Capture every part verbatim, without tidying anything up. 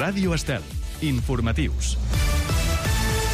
Ràdio Estel. Informatius.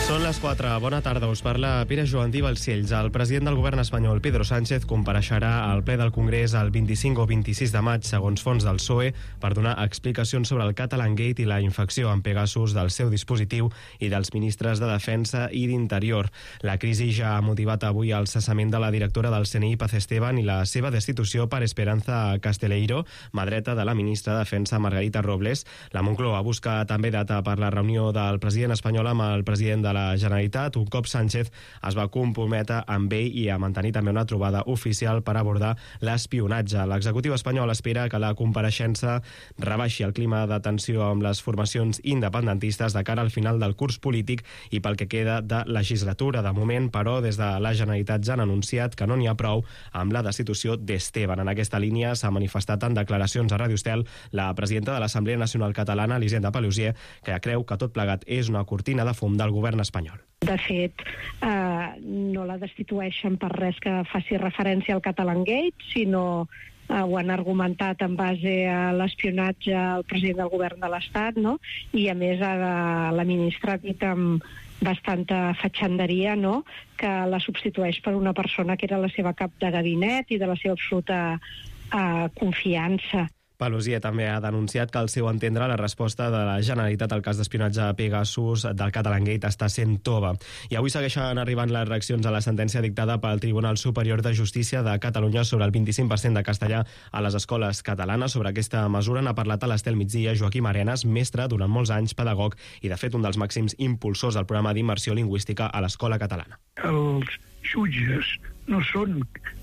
Són les quatre. Bona tarda. Us parla Pere Joan Balcells. El president del govern espanyol, Pedro Sánchez, compareixerà al ple del Congrés el vint-i-cinc o vint-i-sis de maig, segons fonts del P S O E, per donar explicacions sobre el Catalangate i la infecció amb Pegasus del seu dispositiu i dels ministres de Defensa i d'Interior. La crisi ja ha motivat avui el cessament de la directora del C N I, Paz Esteban, i la seva destitució per Esperanza Casteleiro, mà dreta de la ministra de Defensa, Margarita Robles. La Moncloa busca també data per la reunió del president espanyol amb el president de la Generalitat, un cop Sánchez es va comprometre amb ell i a mantenir també una trobada oficial per abordar l'espionatge. L'executiu espanyol espera que la compareixença rebaixi el clima de tensió amb les formacions independentistes de cara al final del curs polític i pel que queda de legislatura. De moment, però, des de la Generalitat ja han anunciat que no n'hi ha prou amb la destitució d'Esteban. En aquesta línia s'ha manifestat en declaracions a Ràdio Estel la presidenta de l'Assemblea Nacional Catalana, Elisenda Paluzie, que creu que tot plegat és una cortina de fum del govern espanyol. De fet, eh, no la destitueixen per res que faci referència al Catalangate, sinó eh, ho han argumentat en base a l'espionatge al president del govern de l'Estat, no? I a més a la, la ministra ha dit amb bastanta fatxanderia, no?, que la substitueix per una persona que era la seva cap de gabinet i de la seva absoluta eh, confiança. Paluzie també ha denunciat que, al seu entendre, la resposta de la Generalitat al cas d'espionatge a Pegasus del Catalangate està sent tova. I avui segueixen arribant les reaccions a la sentència dictada pel Tribunal Superior de Justícia de Catalunya sobre el vint-i-cinc per cent de castellà a les escoles catalanes. Sobre aquesta mesura n'ha parlat a l'Estel Migdia Joaquim Arenas, mestre durant molts anys, pedagog i, de fet, un dels màxims impulsors del programa d'immersió lingüística a l'escola catalana. Els jutges no són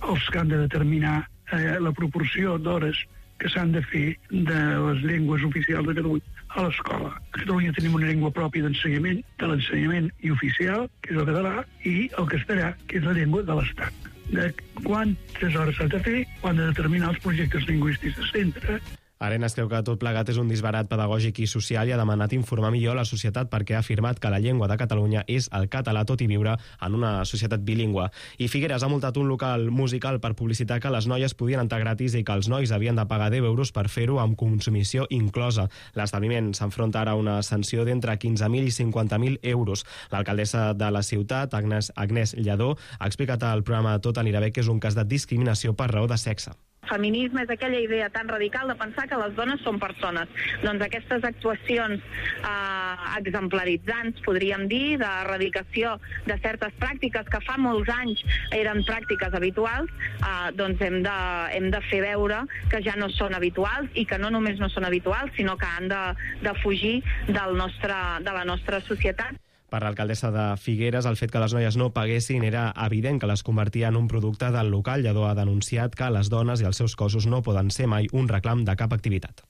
els que han de determinar eh, la proporció d'hores que s'han de fer de les llengües oficials de Catalunya a l'escola. A Catalunya tenim una llengua pròpia d'ensenyament, de l'ensenyament i oficial, que és el català, i el castellà, que és la llengua de l'Estat. De quantes hores s'ha de fer, ho han de determinar els projectes lingüístics de centre. Arenas creu que tot plegat és un disbarat pedagògic i social i ha demanat informar millor a la societat perquè ha afirmat que la llengua de Catalunya és el català, tot i viure en una societat bilingüe. I Figueres ha multat un local musical per publicitar que les noies podien entrar gratis i que els nois havien de pagar deu euros per fer-ho amb consumició inclosa. L'establiment s'enfronta ara a una sanció d'entre quinze mil i cinquanta mil euros. L'alcaldessa de la ciutat, Agnès, Agnès Lledó, ha explicat al programa Tot anirà bé que és un cas de discriminació per raó de sexe. Feminisme és aquella idea tan radical de pensar que les dones són persones. Doncs aquestes actuacions eh, exemplaritzants, podríem dir, d'erradicació de certes pràctiques que fa molts anys eren pràctiques habituals, eh, doncs hem de, hem de fer veure que ja no són habituals i que no només no són habituals, sinó que han de, de fugir del nostre, de la nostra societat. Per l'alcaldessa de Figueres, el fet que les noies no paguessin era evident que les convertia en un producte del local. Lledó ha denunciat que les dones i els seus cossos no poden ser mai un reclam de cap activitat.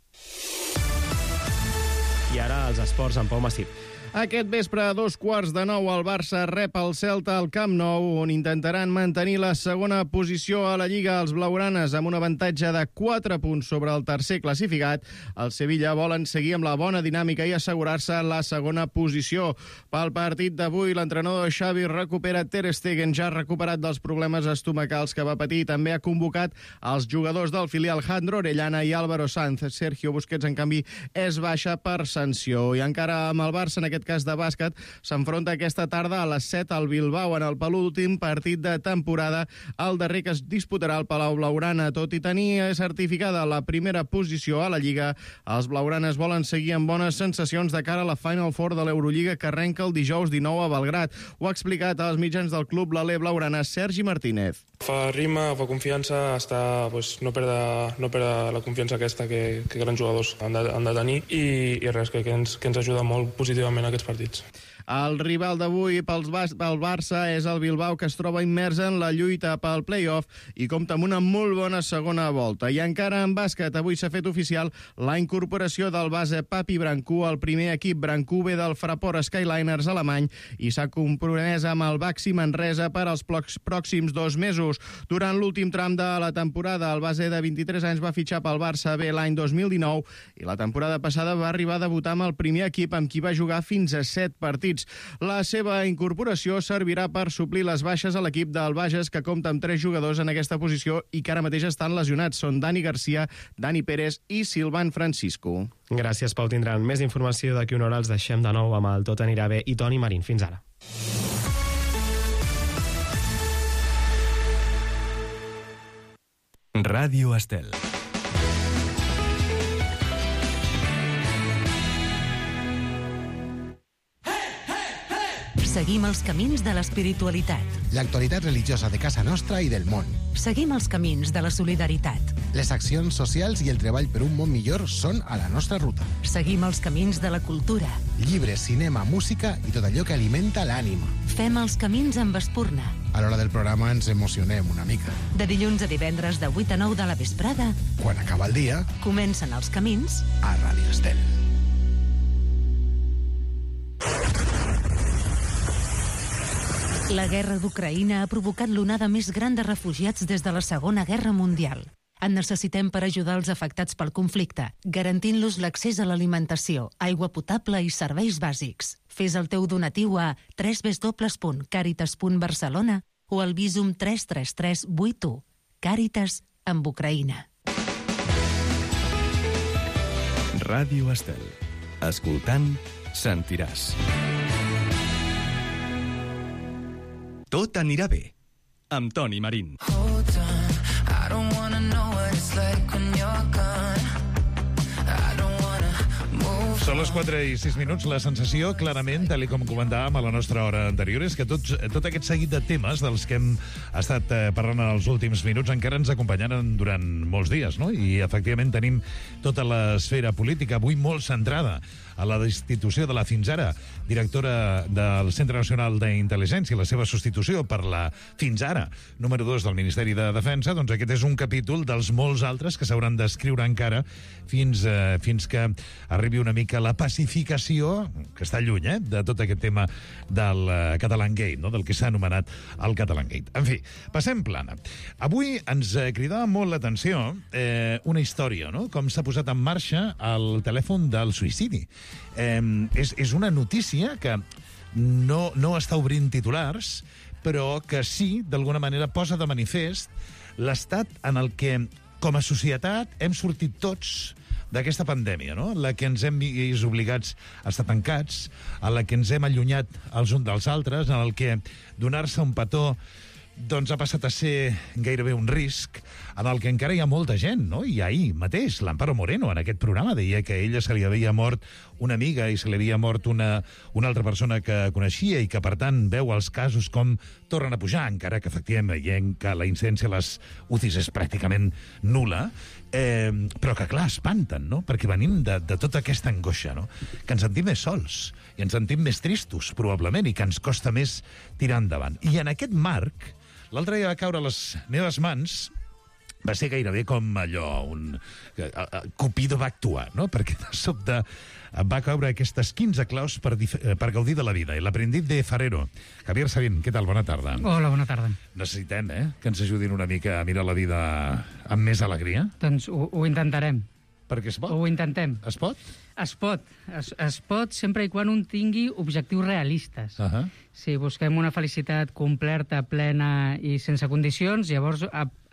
I ara els esports amb Pau Massip. Aquest vespre, a dos quarts de nou, el Barça rep el Celta al Camp Nou, on intentaran mantenir la segona posició a la Lliga. Els blaugranes, amb un avantatge de quatre punts sobre el tercer classificat, el Sevilla volen seguir amb la bona dinàmica i assegurar-se la segona posició. Pel partit d'avui, l'entrenador Xavi recupera Ter Stegen, ja recuperat dels problemes estomacals que va patir. També ha convocat els jugadors del filial Jandro Orellana i Álvaro Sanz. Sergio Busquets, en canvi, és baixa per sanció. I encara amb el Barça, en aquest cas de bàsquet, s'enfronta aquesta tarda a les set al Bilbao en el penúltim partit de temporada, el darrer que es disputarà al Palau Blaugrana. Tot i tenir certificada la primera posició a la Lliga, els blaugranes volen seguir amb bones sensacions de cara a la Final Four de l'Eurolliga que arrenca el dijous dinou a Belgrat. Ho ha explicat als mitjans del club l'alè blaugrana Sergi Martínez. Fa rima, fa confiança, està, pues, no perdre, no perdre la confiança aquesta que, que grans jugadors han de, han de tenir i, i res, que, que, ens, que ens ajuda molt positivament aquests partits. El rival d'avui pels Bas- pel Barça és el Bilbao, que es troba immers en la lluita pel play-off i compta amb una molt bona segona volta. I encara en bàsquet, avui s'ha fet oficial la incorporació del base Papi Brancú al primer equip. Brancú ve del Fraport Skyliners alemany i s'ha compromès amb el Baxi Manresa per als pròxims dos mesos. Durant l'últim tram de la temporada, el base de vint-i-tres anys va fitxar pel Barça B l'any dos mil dinou i la temporada passada va arribar a debutar amb el primer equip, amb qui va jugar fins a set partits. Units. La seva incorporació servirà per suplir les baixes a l'equip del Bages, que compta amb tres jugadors en aquesta posició i que ara mateix estan lesionats. Són Dani Garcia, Dani Pérez i Silvan Francisco. Gràcies, Pau. Tindran més informació d'aquí una hora. Els deixem de nou amb el Tot anirà bé i Toni Marín. Fins ara. Ràdio Estel. Seguim els camins de l'espiritualitat. L'actualitat religiosa de casa nostra i del món. Seguim els camins de la solidaritat. Les accions socials i el treball per un món millor són a la nostra ruta. Seguim els camins de la cultura. Llibres, cinema, música i tot allò que alimenta l'ànima. Fem els camins amb Espurna. A l'hora del programa ens emocionem una mica. De dilluns a divendres de vuit a nou de la vesprada. Quan acaba el dia, comencen els camins a Ràdio Estel. La guerra d'Ucraïna ha provocat l'onada més gran de refugiats des de la Segona Guerra Mundial. En necessitem per ajudar els afectats pel conflicte, garantint-los l'accés a l'alimentació, aigua potable i serveis bàsics. Fes el teu donatiu a w w w punt caritas punt barcelona o al Visum tres tres tres vuit u. Càritas amb Ucraïna. Ràdio Estel. Escoltant, sentiràs. Tot anirà bé, amb Toni Marín. Són les quatre i sis minuts. La sensació, clarament, tal com comentàvem a la nostra hora anterior, és que tots, tot aquest seguit de temes dels que hem estat eh, parlant en els últims minuts encara ens acompanyaran durant molts dies, no? I, efectivament, tenim tota l'esfera política avui molt centrada a la destitució de la fins ara directora del Centre Nacional d'Intel·ligència, la seva substitució per la fins ara número dos del Ministeri de Defensa. Doncs aquest és un capítol dels molts altres que s'hauran d'escriure encara fins, eh, fins que arribi una mica la pacificació, que està lluny, eh, de tot aquest tema del uh, Catalangate, no? Del que s'ha anomenat el Catalangate. En fi, passem plana. Avui ens eh, cridava molt l'atenció eh, una història, no? Com s'ha posat en marxa el telèfon del suïcidi. Eh, és, és una notícia que no, no està obrint titulars, però que sí, d'alguna manera, posa de manifest l'estat en el que, com a societat, hem sortit tots d'aquesta pandèmia, no? La que ens hem vist obligats a estar tancats, a la que ens hem allunyat els uns dels altres, en el que donar-se un petó doncs ha passat a ser gairebé un risc, en el que encara hi ha molta gent, no? I ahir mateix, l'Amparo Moreno, en aquest programa, deia que a ella se li havia mort una amiga i se li havia mort una, una altra persona que coneixia i que, per tant, veu els casos com tornen a pujar, encara que, efectivament, veiem que la incidència a les U C Is és pràcticament nul·la, eh, però que, clar, espanten, no? Perquè venim de, de tota aquesta angoixa, no? Que ens sentim més sols i ens sentim més tristos, probablement, i que ens costa més tirar endavant. I en aquest marc, l'altre dia va caure a les meves mans, va ser gairebé com allò, un... Cupido va actuar, no? Perquè de sobte va caure aquestes quinze claus per, per gaudir de la vida. I l'Aprendiz de Farero. Javier Sabín, què tal? Bona tarda. Hola, bona tarda. Necessitem, eh?, que ens ajudin una mica a mirar la vida amb més alegria. Doncs ho, ho intentarem. Perquè es pot? Ho intentem. Es pot? Es pot. Es, es pot sempre i quan un tingui objectius realistes. Uh -huh. Si busquem una felicitat completa, plena i sense condicions, llavors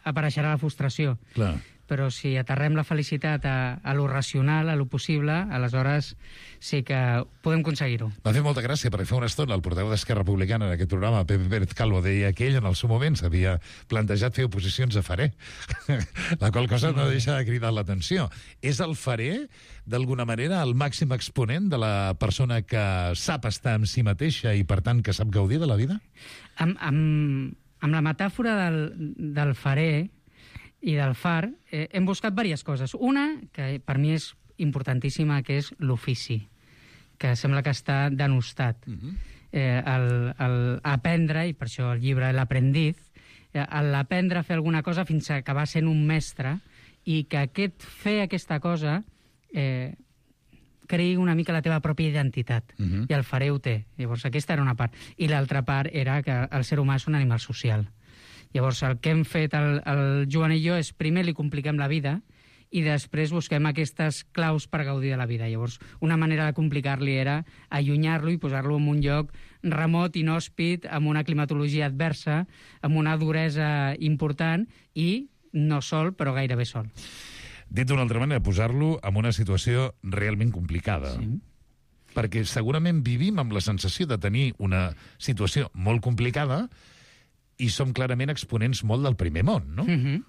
apareixerà la frustració. Clar. Però si aterrem la felicitat a, a lo racional, a lo possible, aleshores sí que podem aconseguir-ho. Va fer molta gràcia, perquè fa una estona el portaveu d'Esquerra Republicana en aquest programa, Pepe Pérez Calvo, deia que ell en el seu moment s'havia plantejat fer oposicions a Faré, la qual cosa no deixa de cridar l'atenció. És el Faré, d'alguna manera, el màxim exponent de la persona que sap estar amb si mateixa i, per tant, que sap gaudir de la vida? Amb, amb, amb la metàfora del, del Faré i del far, eh, hem buscat diverses coses. Una, que per mi és importantíssima, que és l'ofici, que sembla que està denostat. Uh-huh. eh, el, el aprendre, i per això el llibre L'Aprendiz, eh, l'aprendre a fer alguna cosa fins a acabar sent un mestre, i que aquest fer aquesta cosa eh, creï una mica la teva pròpia identitat. Uh-huh. I el Faré ho té. Llavors, aquesta era una part. I l'altra part era que el ser humà és un animal social. Llavors, el que hem fet el, el Joan i jo és, primer, li compliquem la vida, i després busquem aquestes claus per gaudir de la vida. Llavors, una manera de complicar-li era allunyar-lo i posar-lo en un lloc remot, inhòspit, amb una climatologia adversa, amb una duresa important i no sol, però gairebé sol. Dit d'una altra manera, posar-lo en una situació realment complicada. Sí. Perquè segurament vivim amb la sensació de tenir una situació molt complicada i som clarament exponents molt del primer món, no? Mm-hmm.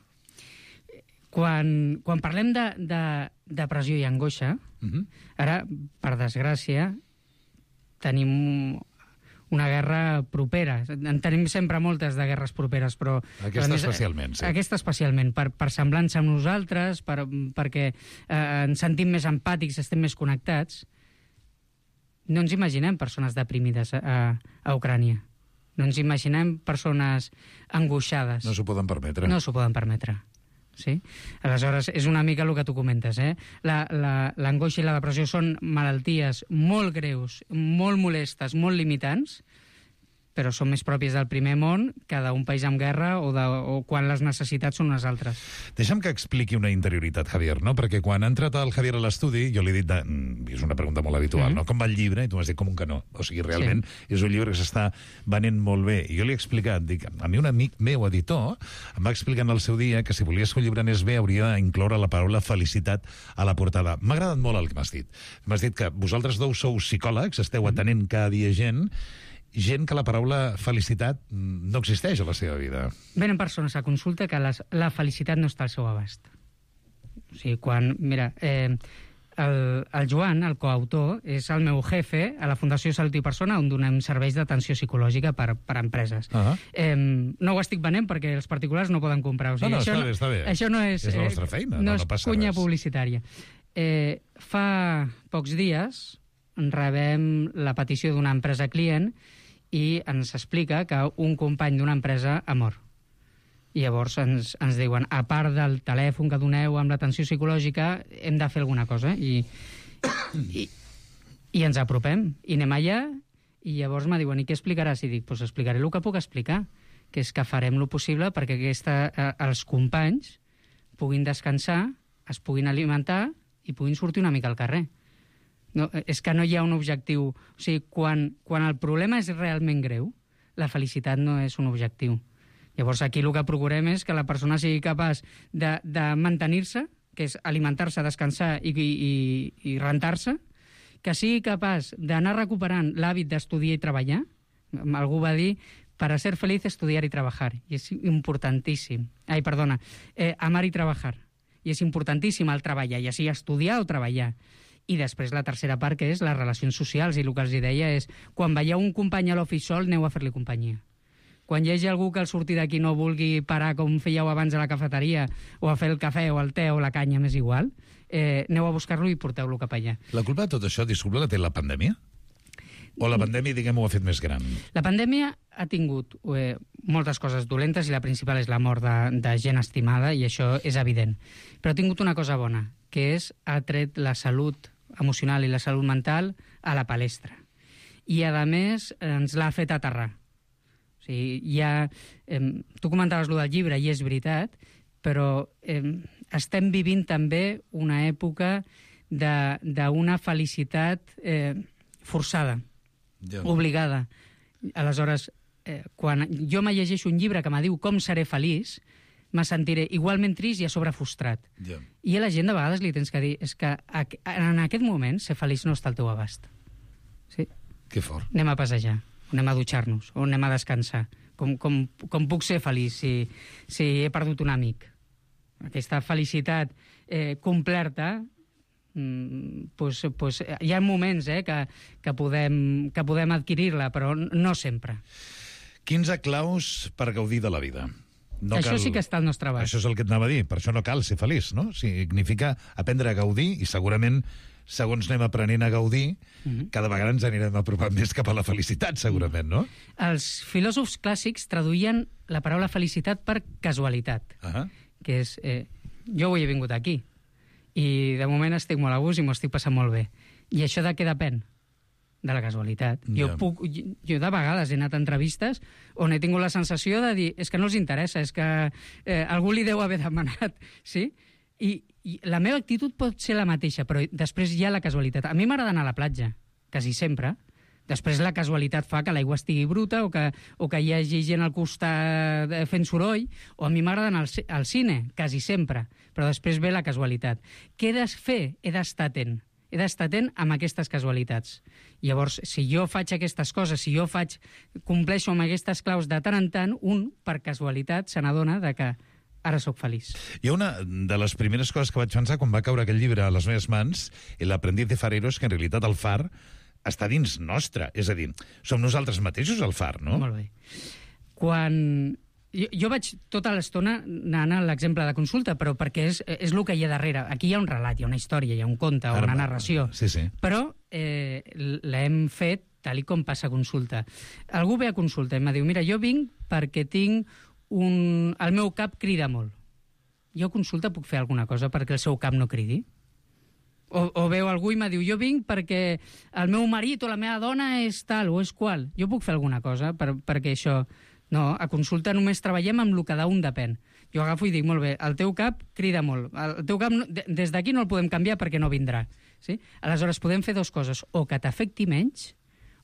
Quan, quan parlem de, de depressió i angoixa, mm-hmm. ara, per desgràcia, tenim una guerra propera. En tenim sempre moltes de guerres properes, però... Aquesta més, especialment, sí. Aquesta especialment, per, per semblança amb nosaltres, per, perquè eh, ens sentim més empàtics, estem més connectats. No ens imaginem persones deprimides a, a Ucrània. No ens imaginem persones angoixades. No s'ho poden permetre. No s'ho poden permetre. Sí? Aleshores, és una mica el que tu comentes. Eh? L'angoixa i la depressió són malalties molt greus, molt molestes, molt limitants, però són més pròpies del primer món que d'un país en guerra o, de, o quan les necessitats són unes altres. Deixa'm que expliqui una interioritat, Javier, no? Perquè quan ha entrat el Javier a l'estudi, jo li he dit, de... és una pregunta molt habitual, mm-hmm. no? Com va el llibre? I tu m'has dit com un canó. O sigui, realment sí. És un llibre que s'està venent molt bé. I jo li he explicat, dic, a mi un amic meu, editor, em va explicar en el seu dia que si volies que un llibre anés bé hauria d'incloure la paraula felicitat a la portada. M'ha agradat molt el que m'has dit. M'has dit que vosaltres dos sou psicòlegs, esteu atenent cada dia gent, gent que la paraula felicitat no existeix a la seva vida. Venen persones a consulta que les, la felicitat no està al seu abast. O sigui, quan... Mira, eh, el, el Joan, el coautor, és el meu jefe a la Fundació Salut i Persona, on donem serveis d'atenció psicològica per, per a empreses. Uh-huh. eh, no ho estic venent perquè els particulars no poden comprar. O sigui, no, no, això està bé, està bé. Això no és... És la nostra feina, no, no, no no passa cunya res. Publicitària. Eh, fa pocs dies rebem la petició d'una empresa client i ens explica que un company d'una empresa ha mort. I llavors ens, ens diuen, a part del telèfon que doneu amb l'atenció psicològica, hem de fer alguna cosa. I, i, i ens apropem, i anem allà, i llavors me diuen, i què explicaràs? I dic, doncs pues explicaré el que puc explicar, que és que farem el possible perquè aquesta, eh, els companys puguin descansar, es puguin alimentar i puguin sortir una mica al carrer. No, és que no hi ha un objectiu. O sigui, quan, quan el problema és realment greu, la felicitat no és un objectiu. Llavors aquí el que procurem és que la persona sigui capaç de, de mantenir-se, que és alimentar-se, descansar i, i, i rentar-se, que sigui capaç d'anar recuperant l'hàbit d'estudiar i treballar. Algú va dir, para ser feliz, estudiar i treballar. I és importantíssim. Ai, perdona, eh, amar i treballar. I és importantíssim el treballar, ja sigui estudiar o treballar. I després la tercera part, que és les relacions socials, i el que els deia és, quan veieu un company a l'ofici sol, aneu a fer-li companyia. Quan hi hagi algú que al sortir d'aquí no vulgui parar com fèieu abans a la cafeteria, o a fer el cafè o el te o la canya, m'és igual, eh, aneu a buscar-lo i porteu-lo cap allà. La culpa de tot això, disculpa, la té la pandèmia? O la pandèmia, diguem, ho ha fet més gran? La pandèmia ha tingut eh, moltes coses dolentes i la principal és la mort de, de gent estimada, i això és evident. Però ha tingut una cosa bona, que és ha tret la salut emocional i la salut mental a la palestra. I, a més, ens l'ha fet aterrar. O sigui, ja, eh, tu comentaves lo del llibre, i és veritat, però eh, estem vivint també una època d'una felicitat eh, forçada, ja. Obligada. Aleshores, eh, quan jo me llegeixo un llibre que me diu com seré feliç, me sentiré igualment trist i a sobre frustrat. Yeah. I a la gent de vegades li tens que dir és que en aquest moment ser feliç no està al teu abast. Sí? Que fort. Anem a passejar, o anem a dutxar-nos, o anem a descansar. Com, com, com puc ser feliç si, si he perdut un amic? Aquesta felicitat eh, complerta, mm, pues, pues, hi ha moments eh, que, que podem, que podem adquirir-la, però no sempre. quinze claus per gaudir de la vida. No això cal... sí que està al nostre abast. Això és el que et anava a dir. Per això no cal ser feliç, no? Significa aprendre a gaudir i segurament, segons anem aprenent a gaudir, mm-hmm. cada vegada ens anirem apropant més cap a la felicitat, segurament, no? Els filòsofs clàssics traduïen la paraula felicitat per casualitat, uh-huh. que és, eh, jo avui he vingut aquí i de moment estic molt a gust i m'ho estic passant molt bé. I això de què depèn? De la casualitat. Yeah. Jo, puc, jo de vegades he anat a entrevistes on he tingut la sensació de dir és que no els interessa, és que eh, algú li deu haver demanat, sí? I, I la meva actitud pot ser la mateixa, però després hi ha la casualitat. A mi m'agrada anar a la platja, quasi sempre. Després la casualitat fa que l'aigua estigui bruta o que, o que hi hagi gent al costat fent soroll, o a mi m'agrada anar al, al cine, quasi sempre, però després ve la casualitat. Què he de fer? He d'estar atent. He d'estar atent amb aquestes casualitats. Llavors, si jo faig aquestes coses, si jo faig, compleixo amb aquestes claus de tant en tant, un, per casualitat, se n'adona de que ara sóc feliç. Hi ha una de les primeres coses que vaig pensar quan va caure aquest llibre a les meves mans, l'aprendiz de farero, és que en realitat el far està dins nostre. És a dir, som nosaltres mateixos el far, no? Molt bé. Quan... Jo, jo vaig tota l'estona anant a l'exemple de consulta, però perquè és, és el que hi ha darrere. Aquí hi ha un relat, hi ha una història, hi ha un conte, Ara, una narració. Sí, sí. Però eh, l'hem fet tal i com passa a consulta. Algú ve a consulta i em diu, mira, jo vinc perquè tinc un... el meu cap crida molt. Jo a consulta puc fer alguna cosa perquè el seu cap no cridi? O, o veu algú i me diu, jo vinc perquè el meu marit o la meva dona és tal o és qual. Jo puc fer alguna cosa per, perquè això... No, a consulta només treballem amb el que d'un depèn. Jo agafo i dic, molt bé, el teu cap crida molt. El teu cap, no, des d'aquí no el podem canviar perquè no vindrà. Sí? Aleshores, podem fer dues coses. O que t'afecti menys,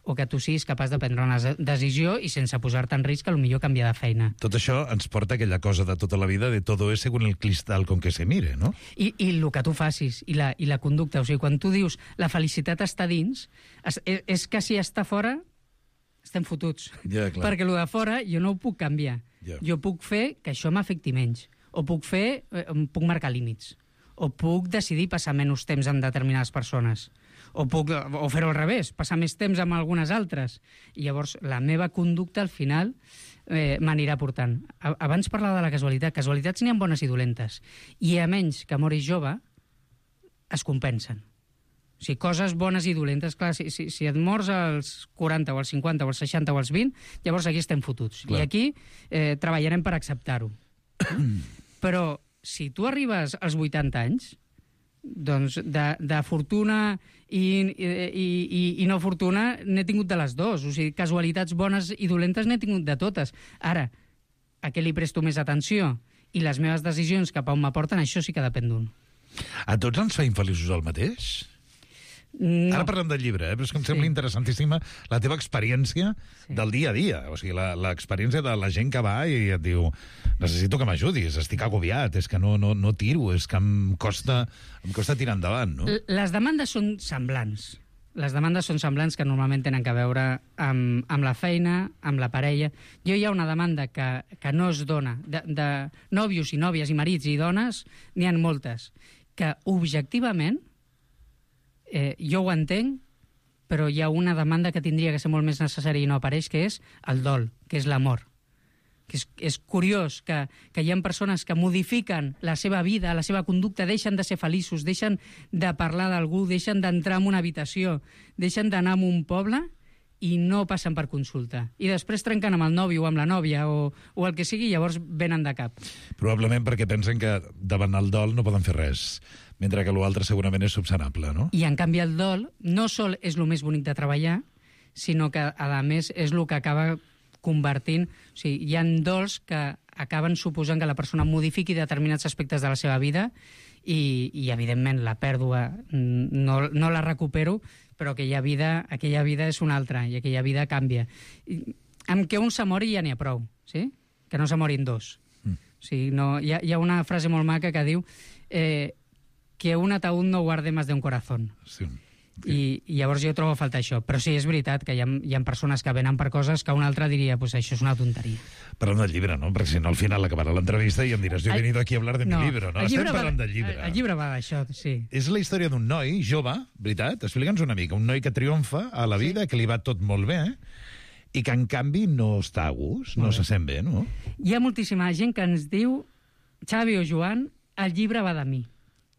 o que tu siguis capaç de prendre una decisió i sense posar-te en risc, potser canviar de feina. Tot això ens porta a aquella cosa de tota la vida de todo es según el cristal con que se mire, no? I, i el que tu facis, i la, i la conducta. O sigui, quan tu dius la felicitat està dins, és, és que si està fora... estem fotuts. Ja, clar. Perquè el de fora jo no ho puc canviar. Ja. Jo puc fer que això m'afecti menys. O puc fer, eh, puc marcar límits. O puc decidir passar menys temps amb determinades persones. O puc, o fer-ho al revés, passar més temps amb algunes altres. I llavors la meva conducta al final eh, m'anirà portant. Abans parlava de la casualitat. Casualitats n'hi ha bones i dolentes. I a menys que moris jove, es compensen. O sigui, coses bones i dolentes, clar, si, si, si et mors als quaranta o als cinquanta o als seixanta o als vint, llavors aquí estem fotuts. Clar. I aquí eh, treballarem per acceptar-ho. Però si tu arribes als vuitanta anys, doncs de, de fortuna i, i, i, i no fortuna n'he tingut de les dues. O sigui, casualitats bones i dolentes n'he tingut de totes. Ara, a què li presto més atenció? I les meves decisions cap a on m'aporten, això sí que depèn d'un. A tots ens fa infeliços el mateix? No. Ara parlem del llibre, eh? Però és que em sembla sí. interessantíssima la teva experiència sí. del dia a dia. O sigui, l'experiència de la gent que va i et diu necessito que m'ajudis, estic agobiat, és que no, no, no tiro, és que em costa, em costa tirar endavant, no? Les demandes són semblants. Les demandes són semblants que normalment tenen que veure amb, amb la feina, amb la parella. Jo hi ha una demanda que, que no es dona. De, de nòvios i nòvies i marits i dones, n'hi ha moltes. Que objectivament Eh, jo ho entenc, però hi ha una demanda que tindria que ser molt més necessària i no apareix, que és el dol, que és l'amor. Que és, és curiós que, que hi ha persones que modifiquen la seva vida, la seva conducta, deixen de ser feliços, deixen de parlar d'algú, deixen d'entrar en una habitació, deixen d'anar a un poble i no passen per consulta. I després trenquen amb el nòvio o amb la nòvia o, o el que sigui, llavors venen de cap. Probablement perquè pensen que davant el dol no poden fer res, mentre que l'altre segurament és subsanable, no? I en canvi el dol no sol és el més bonic de treballar, sinó que a més és el que acaba convertint... O sigui, hi ha dols que acaben suposant que la persona modifiqui determinats aspectes de la seva vida i, i evidentment, la pèrdua no, no la recupero, però aquella vida, aquella vida és una altra i aquella vida canvia. I, amb que un se mori ja n'hi ha prou, sí? Que no se morin dos. Mm. O sigui, no, hi, ha, hi ha una frase molt maca que diu eh, que un ataúd no guarde más de un corazón. Sí. I, i llavors jo trobo a faltar això. Però sí, és veritat que hi ha, hi ha persones que venen per coses que un altre diria, pues això és una tonteria. Parlem del llibre, no? Perquè si no al final acabarà l'entrevista i em diràs, jo he venido aquí a hablar de no, mi libro, no? Estem parlant del llibre. El, el llibre va d'això, sí. És la història d'un noi jove, veritat? Explica'ns una mica. Un noi que triomfa a la vida, sí. que li va tot molt bé, i que en canvi no està a gust, no se sent bé, no? Hi ha moltíssima gent que ens diu, Xavi o Joan, el llibre va de mi.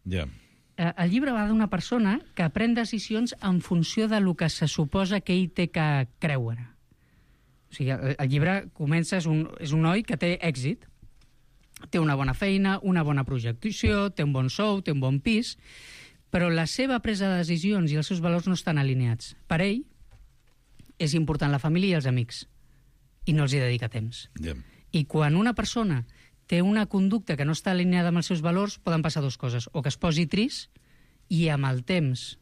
Ja. Yeah. El llibre va d'una persona que pren decisions en funció de lo que se suposa que ell té que creure. O sigui, el, el llibre comença, és un, és un noi que té èxit, té una bona feina, una bona projecció, té un bon sou, té un bon pis, però la seva presa de decisions i els seus valors no estan alineats. Per ell és important la família i els amics, i no els hi dedica temps. Yeah. I quan una persona té una conducta que no està alineada amb els seus valors, poden passar dues coses. O que es posi trist i amb el temps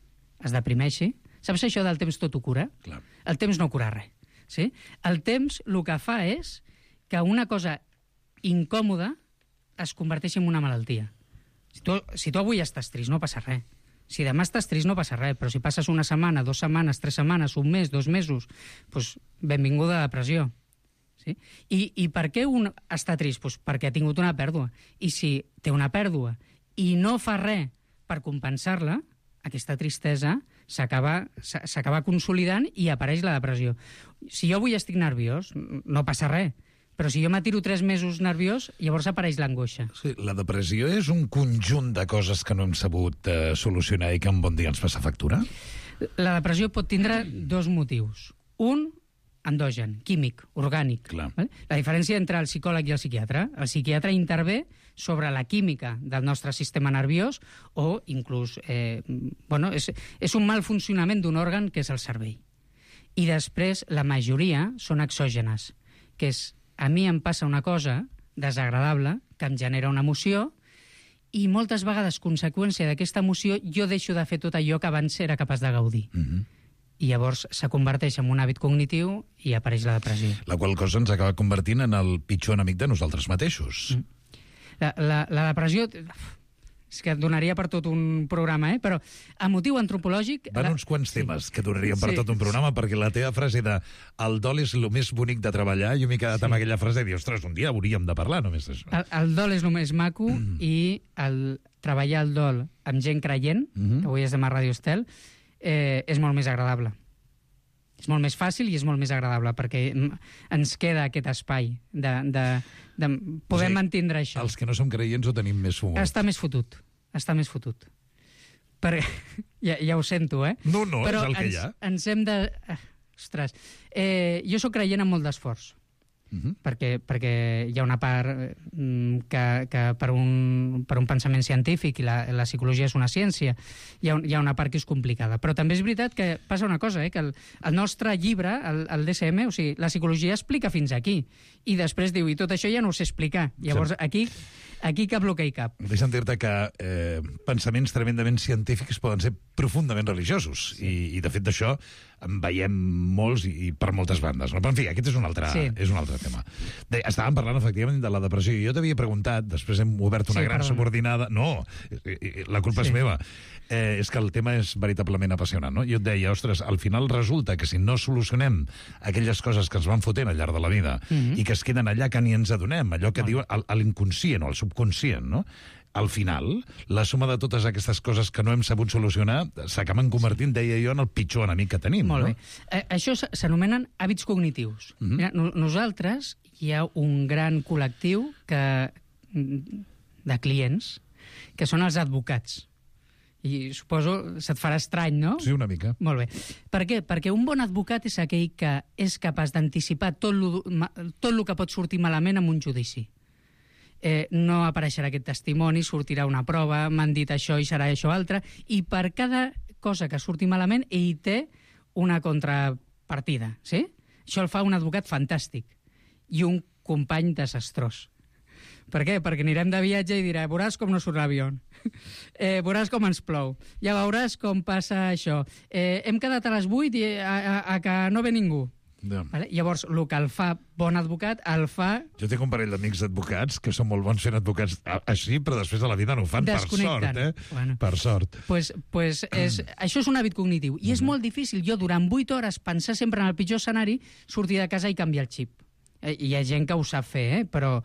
es deprimeixi. Saps això del temps tot ho cura? Clar. El temps no cura res. Sí? El temps el que fa és que una cosa incòmoda es converteixi en una malaltia. Si tu, si tu avui estàs trist, no passa res. Si demà estàs trist, no passa res. Però si passes una setmana, dues setmanes, tres setmanes, un mes, dos mesos, doncs benvinguda a depressió. Sí? I, I per què un està trist? Pues perquè ha tingut una pèrdua. I si té una pèrdua i no fa res per compensar-la, aquesta tristesa s'acaba consolidant i apareix la depressió. Si jo avui estic nerviós, no passa res. Però si jo m'atiro tres mesos nerviós, llavors apareix l'angoixa. Sí, la depressió és un conjunt de coses que no hem sabut eh, solucionar i que un bon dia ens passa factura? La depressió pot tindre dos motius. Un, endogen, químic, orgànic. Clar. La diferència entre el psicòleg i el psiquiatre. El psiquiatre intervé sobre la química del nostre sistema nerviós o inclús eh, bueno, és, és un mal funcionament d'un òrgan que és el cervell. I després la majoria són exògenes, que és a mi em passa una cosa desagradable que em genera una emoció i moltes vegades, conseqüència d'aquesta emoció, jo deixo de fer tot allò que abans era capaç de gaudir. Mm-hmm. I llavors se converteix en un hàbit cognitiu i apareix la depressió. La qual cosa ens acaba convertint en el pitjor enemic de nosaltres mateixos. Mm. La, la, la depressió... És que donaria per tot un programa, eh? Però a motiu antropològic... Van la... uns quants temes sí. que donaríem per sí. tot un programa, perquè la teva frase de el dol és el més bonic de treballar, jo m'he quedat sí. amb aquella frase de dir, ostres, un dia hauríem de parlar només d'això. El, el dol és el més maco mm. i el treballar el dol amb gent creient, mm-hmm. que avui és demà Ràdio Estel, eh, és molt més agradable. És molt més fàcil i és molt més agradable, perquè ens queda aquest espai de, de, de poder o sigui, mantindre això. Els que no som creients ho tenim més fumut. Està més fotut. Està més fotut. Perquè, ja, ja ho sento, eh? No, no, però és el que ens, hi ha. Ens hem de... Ostres. Eh, jo sóc creient amb molt d'esforç. Uh-huh. perquè, perquè hi ha una part mm, que, que per, un, per un pensament científic i la, la psicologia és una ciència, hi ha, un, hi ha una part que és complicada, però també és veritat que passa una cosa, eh, que el, el nostre llibre, el, el D S M, o sigui, la psicologia explica fins aquí i després diu, i tot això ja no ho sé explicar, llavors aquí aquí cap bloquei cap. Deixa'm dir-te que eh, pensaments tremendament científics poden ser profundament religiosos sí. i, i de fet d'això en veiem molts i, i per moltes bandes. No? Però en fi, aquest és un altre, sí. és un altre tema. De, estàvem parlant efectivament de la depressió i jo t'havia preguntat, després hem obert una sí, gran perdona. subordinada... No, la culpa sí. és meva. Eh, és que el tema és veritablement apassionant, no? Jo et deia, ostres, al final resulta que si no solucionem aquelles coses que ens van fotent al llarg de la vida mm-hmm. i que es queden allà que ni ens adonem, allò que oh. diu l'inconscient o el subconscient, no? Al final, la suma de totes aquestes coses que no hem sabut solucionar s'acaben convertint, deia jo, en el pitjor enemic que tenim. Molt no? bé. Eh, això s'anomenen hàbits cognitius. Mm-hmm. Mira, no, nosaltres hi ha un gran col·lectiu que, de clients que són els advocats. I suposo se't farà estrany, no? Sí, una mica. Molt bé. Per què? Perquè un bon advocat és aquell que és capaç d'anticipar tot lo, tot el que pot sortir malament en un judici. Eh, no apareixerà aquest testimoni, sortirà una prova, m'han dit això i serà això altre, i per cada cosa que surti malament, ell té una contrapartida, sí? Això el fa un advocat fantàstic i un company desastrós. Per què? Perquè anirem de viatge i dirà, veuràs com no surt l'avió, eh, veuràs com ens plou, ja veuràs com passa això, eh, hem quedat a les vuit i a, a, a que no ve ningú. Yeah. Vale? Llavors, el que el fa bon advocat, el fa... Jo tinc un parell d'amics advocats que són molt bons fent advocats així, però després de la vida no ho fan, per sort, eh? Bueno. Per sort. Pues, pues és, això és un hàbit cognitiu. I és molt difícil, jo durant vuit hores pensar sempre en el pitjor escenari, sortir de casa i canviar el xip. Hi ha gent que ho sap fer, eh? Però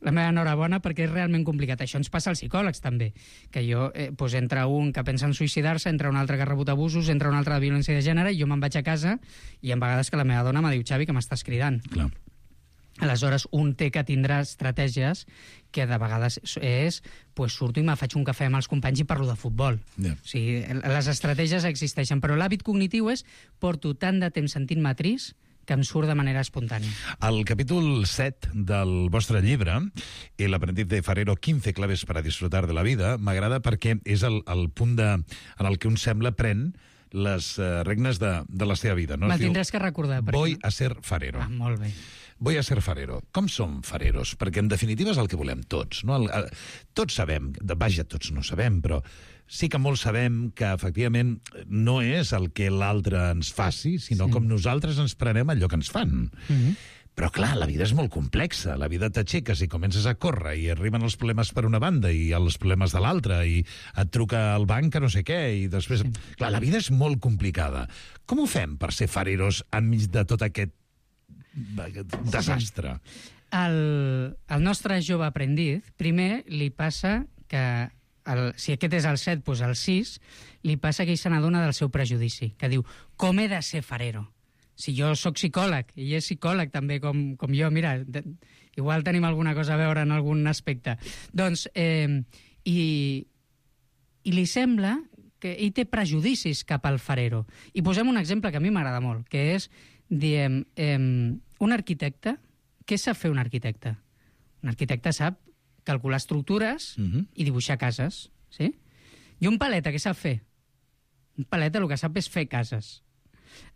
la meva enhorabona perquè és realment complicat. Això ens passa als psicòlegs, també. Que jo, eh, doncs entra un que pensa en suïcidar-se, entra un altre que ha rebut abusos, entra un altre de violència de gènere, i jo me'n vaig a casa i en vegades que la meva dona me diu, Xavi, que m'estàs cridant. Clar. Aleshores, un té que tindrà estratègies que de vegades és, pues, surto i me faig un cafè amb els companys i parlo de futbol. Yeah. O sigui, les estratègies existeixen, però l'hàbit cognitiu és porto tant de temps sentint-me trist que em surt de manera espontània. Al capítol set del vostre llibre, El aprendiz de Farero, quince claves para disfrutar de la vida, m'agrada perquè és el, el punt de, en el que un sembla pren les uh, regnes de, de la seva vida. No? Me'l tindràs que recordar. Voy a ser farero. Ah, molt bé. voy a ser farero. Com som fareros? Perquè, en definitiva, és el que volem tots. No? El, el, tots sabem, vaja, tots no sabem, però sí que molts sabem que, efectivament, no és el que l'altre ens faci, sinó sí. com nosaltres ens prenem allò que ens fan. Mm-hmm. Però, clar, la vida és molt complexa. La vida t'aixeques i comences a córrer i arriben els problemes per una banda i els problemes de l'altra i et truca el banc que no sé què i després... Sí. Clar, la vida és molt complicada. Com ho fem per ser fareros enmig de tot aquest desastre? El, el nostre jove aprendiz, primer li passa que... El, si aquest és el set, doncs el sis, li passa que ell se n'adona del seu prejudici, que diu, com he de ser farero? Si jo sóc psicòleg, i ell és psicòleg també com, com jo, mira, de, igual tenim alguna cosa a veure en algun aspecte. Doncs, eh, i, i li sembla que ell té prejudicis cap al farero. I posem un exemple que a mi m'agrada molt, que és, diem, eh, un arquitecte, què sap fer un arquitecte? Un arquitecte sap calcular estructures uh-huh. i dibuixar cases, sí? I un paleta, què sap fer? Un paleta el que sap és fer cases.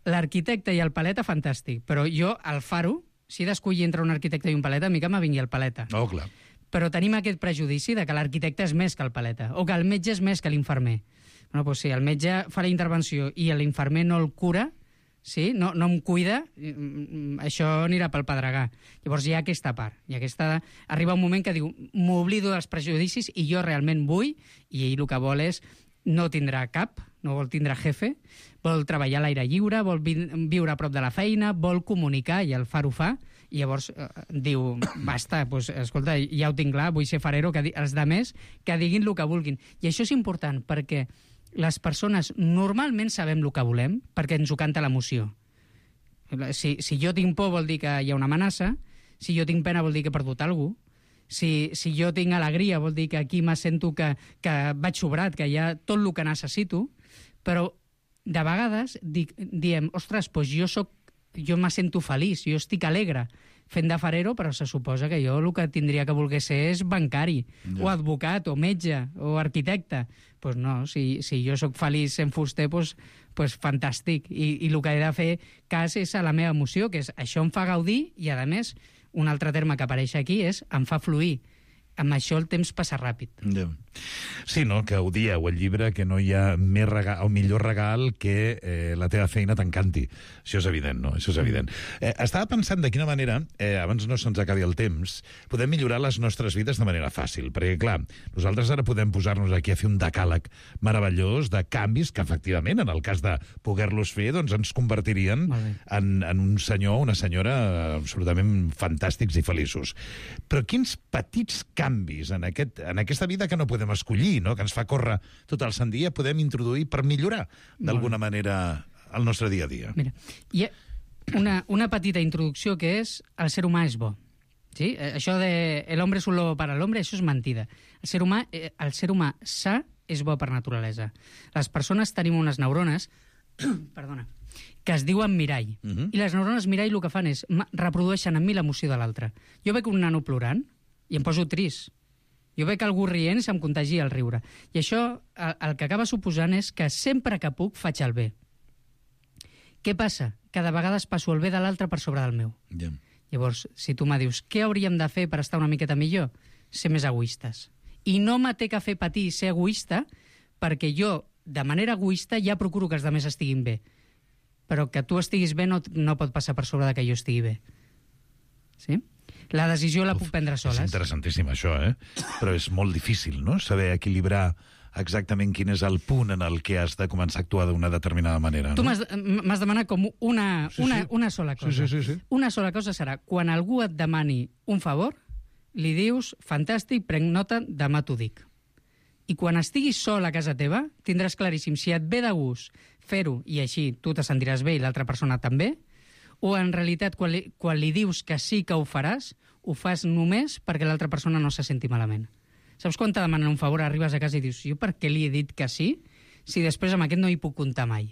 L'arquitecte i el paleta, fantàstic, però jo, el faro, si he d'escollir entre un arquitecte i un paleta, a mi que me vingui el paleta. Oh, clar. Però tenim aquest prejudici de que l'arquitecte és més que el paleta, o que el metge és més que l'infermer. Bueno, doncs sí, el metge fa la intervenció i l'infermer no el cura, sí? no, no em cuida, això anirà pel pedregar. Llavors hi ha aquesta part. I aquesta... Arriba un moment que diu, m'oblido dels prejudicis i jo realment vull, i ell el que vol és no tindrà cap, no vol tindre jefe, vol treballar a l'aire lliure, vol vi viure a prop de la feina, vol comunicar, i el faro fa, i llavors eh, diu, basta, doncs, escolta, ja ho tinc clar, vull ser farero, que els demés que diguin el que vulguin. I això és important, perquè les persones normalment sabem el que volem perquè ens ho canta l'emoció. Si, si jo tinc por vol dir que hi ha una amenaça, si jo tinc pena vol dir que he perdut alguna cosa, si, si jo tinc alegria vol dir que aquí me sento que, que vaig sobrat, que hi ha tot el que necessito, però de vegades dic, diem, ostres, doncs jo, soc, jo me sento feliç, jo estic alegre fent de farero, però se suposa que jo el que tindria que voler ser és bancari, ja. o advocat, o metge, o arquitecte. Doncs pues no, si, si jo sóc feliç sent fuster, doncs pues, pues fantàstic. I, I el que he de fer cas és a la meva emoció, que és això em fa gaudir, i a més, un altre terme que apareix aquí és em fa fluir. Amb això el temps passa ràpid. Ja. Sí, no?, que ho dieu al llibre, que no hi ha més regal, o millor regal que eh, la teva feina t'encanti. Això és evident, no? Això és evident. Eh, estava pensant de quina manera, eh, abans no se'ns acabi el temps, podem millorar les nostres vides de manera fàcil. Perquè, clar, nosaltres ara podem posar-nos aquí a fer un decàleg meravellós de canvis que, efectivament, en el cas de poder-los fer, doncs ens convertirien en, en un senyor o una senyora absolutament fantàstics i feliços. Però quins petits canvis en, aquest, en aquesta vida que no podem escollir, no?, que ens fa córrer tot el sant dia, podem introduir per millorar d'alguna manera el nostre dia a dia? Mira, hi ha una, una petita introducció que és el ser humà és bo. Sí? Això de el hombre es un lobo para el hombre, això és mentida. El ser humà, el ser humà sa és bo per naturalesa. Les persones tenim unes neurones perdona, que es diuen mirall. Uh-huh. I les neurones mirall el que fan és reprodueixen en mi l'emoció de l'altre. Jo veig un nano plorant i em poso trist. Jo veig algú rient i se'm contagia el riure. I això el, el que acaba suposant és que sempre que puc faig el bé. Què passa? Que de vegades passo el bé de l'altre per sobre del meu. Yeah. Llavors, si tu me dius què hauríem de fer per estar una miqueta millor? Ser més egoistes. I no me té que fer patir ser egoista perquè jo, de manera egoista, ja procuro que els altres estiguin bé. Però que tu estiguis bé no, no pot passar per sobre de que jo estigui bé. Sí? La decisió la Uf, puc prendre soles. És interessantíssim, això, eh? Però és molt difícil, no?, saber equilibrar exactament quin és el punt en el que has de començar a actuar d'una determinada manera. Tu no? m'has demanat com una, sí, una, sí. una sola cosa. Sí, sí, sí, sí. Una sola cosa serà, quan algú et demani un favor, li dius, fantàstic, prenc nota, demà t'ho dic. I quan estiguis sol a casa teva, tindràs claríssim si et ve de gust fer-ho i així tu te sentiràs bé i l'altra persona també, o en realitat quan li, quan li dius que sí que ho faràs, ho fas només perquè l'altra persona no se senti malament. Saps quan te demanen un favor, arribes a casa i dius, jo per què li he dit que sí, si després amb aquest no hi puc comptar mai?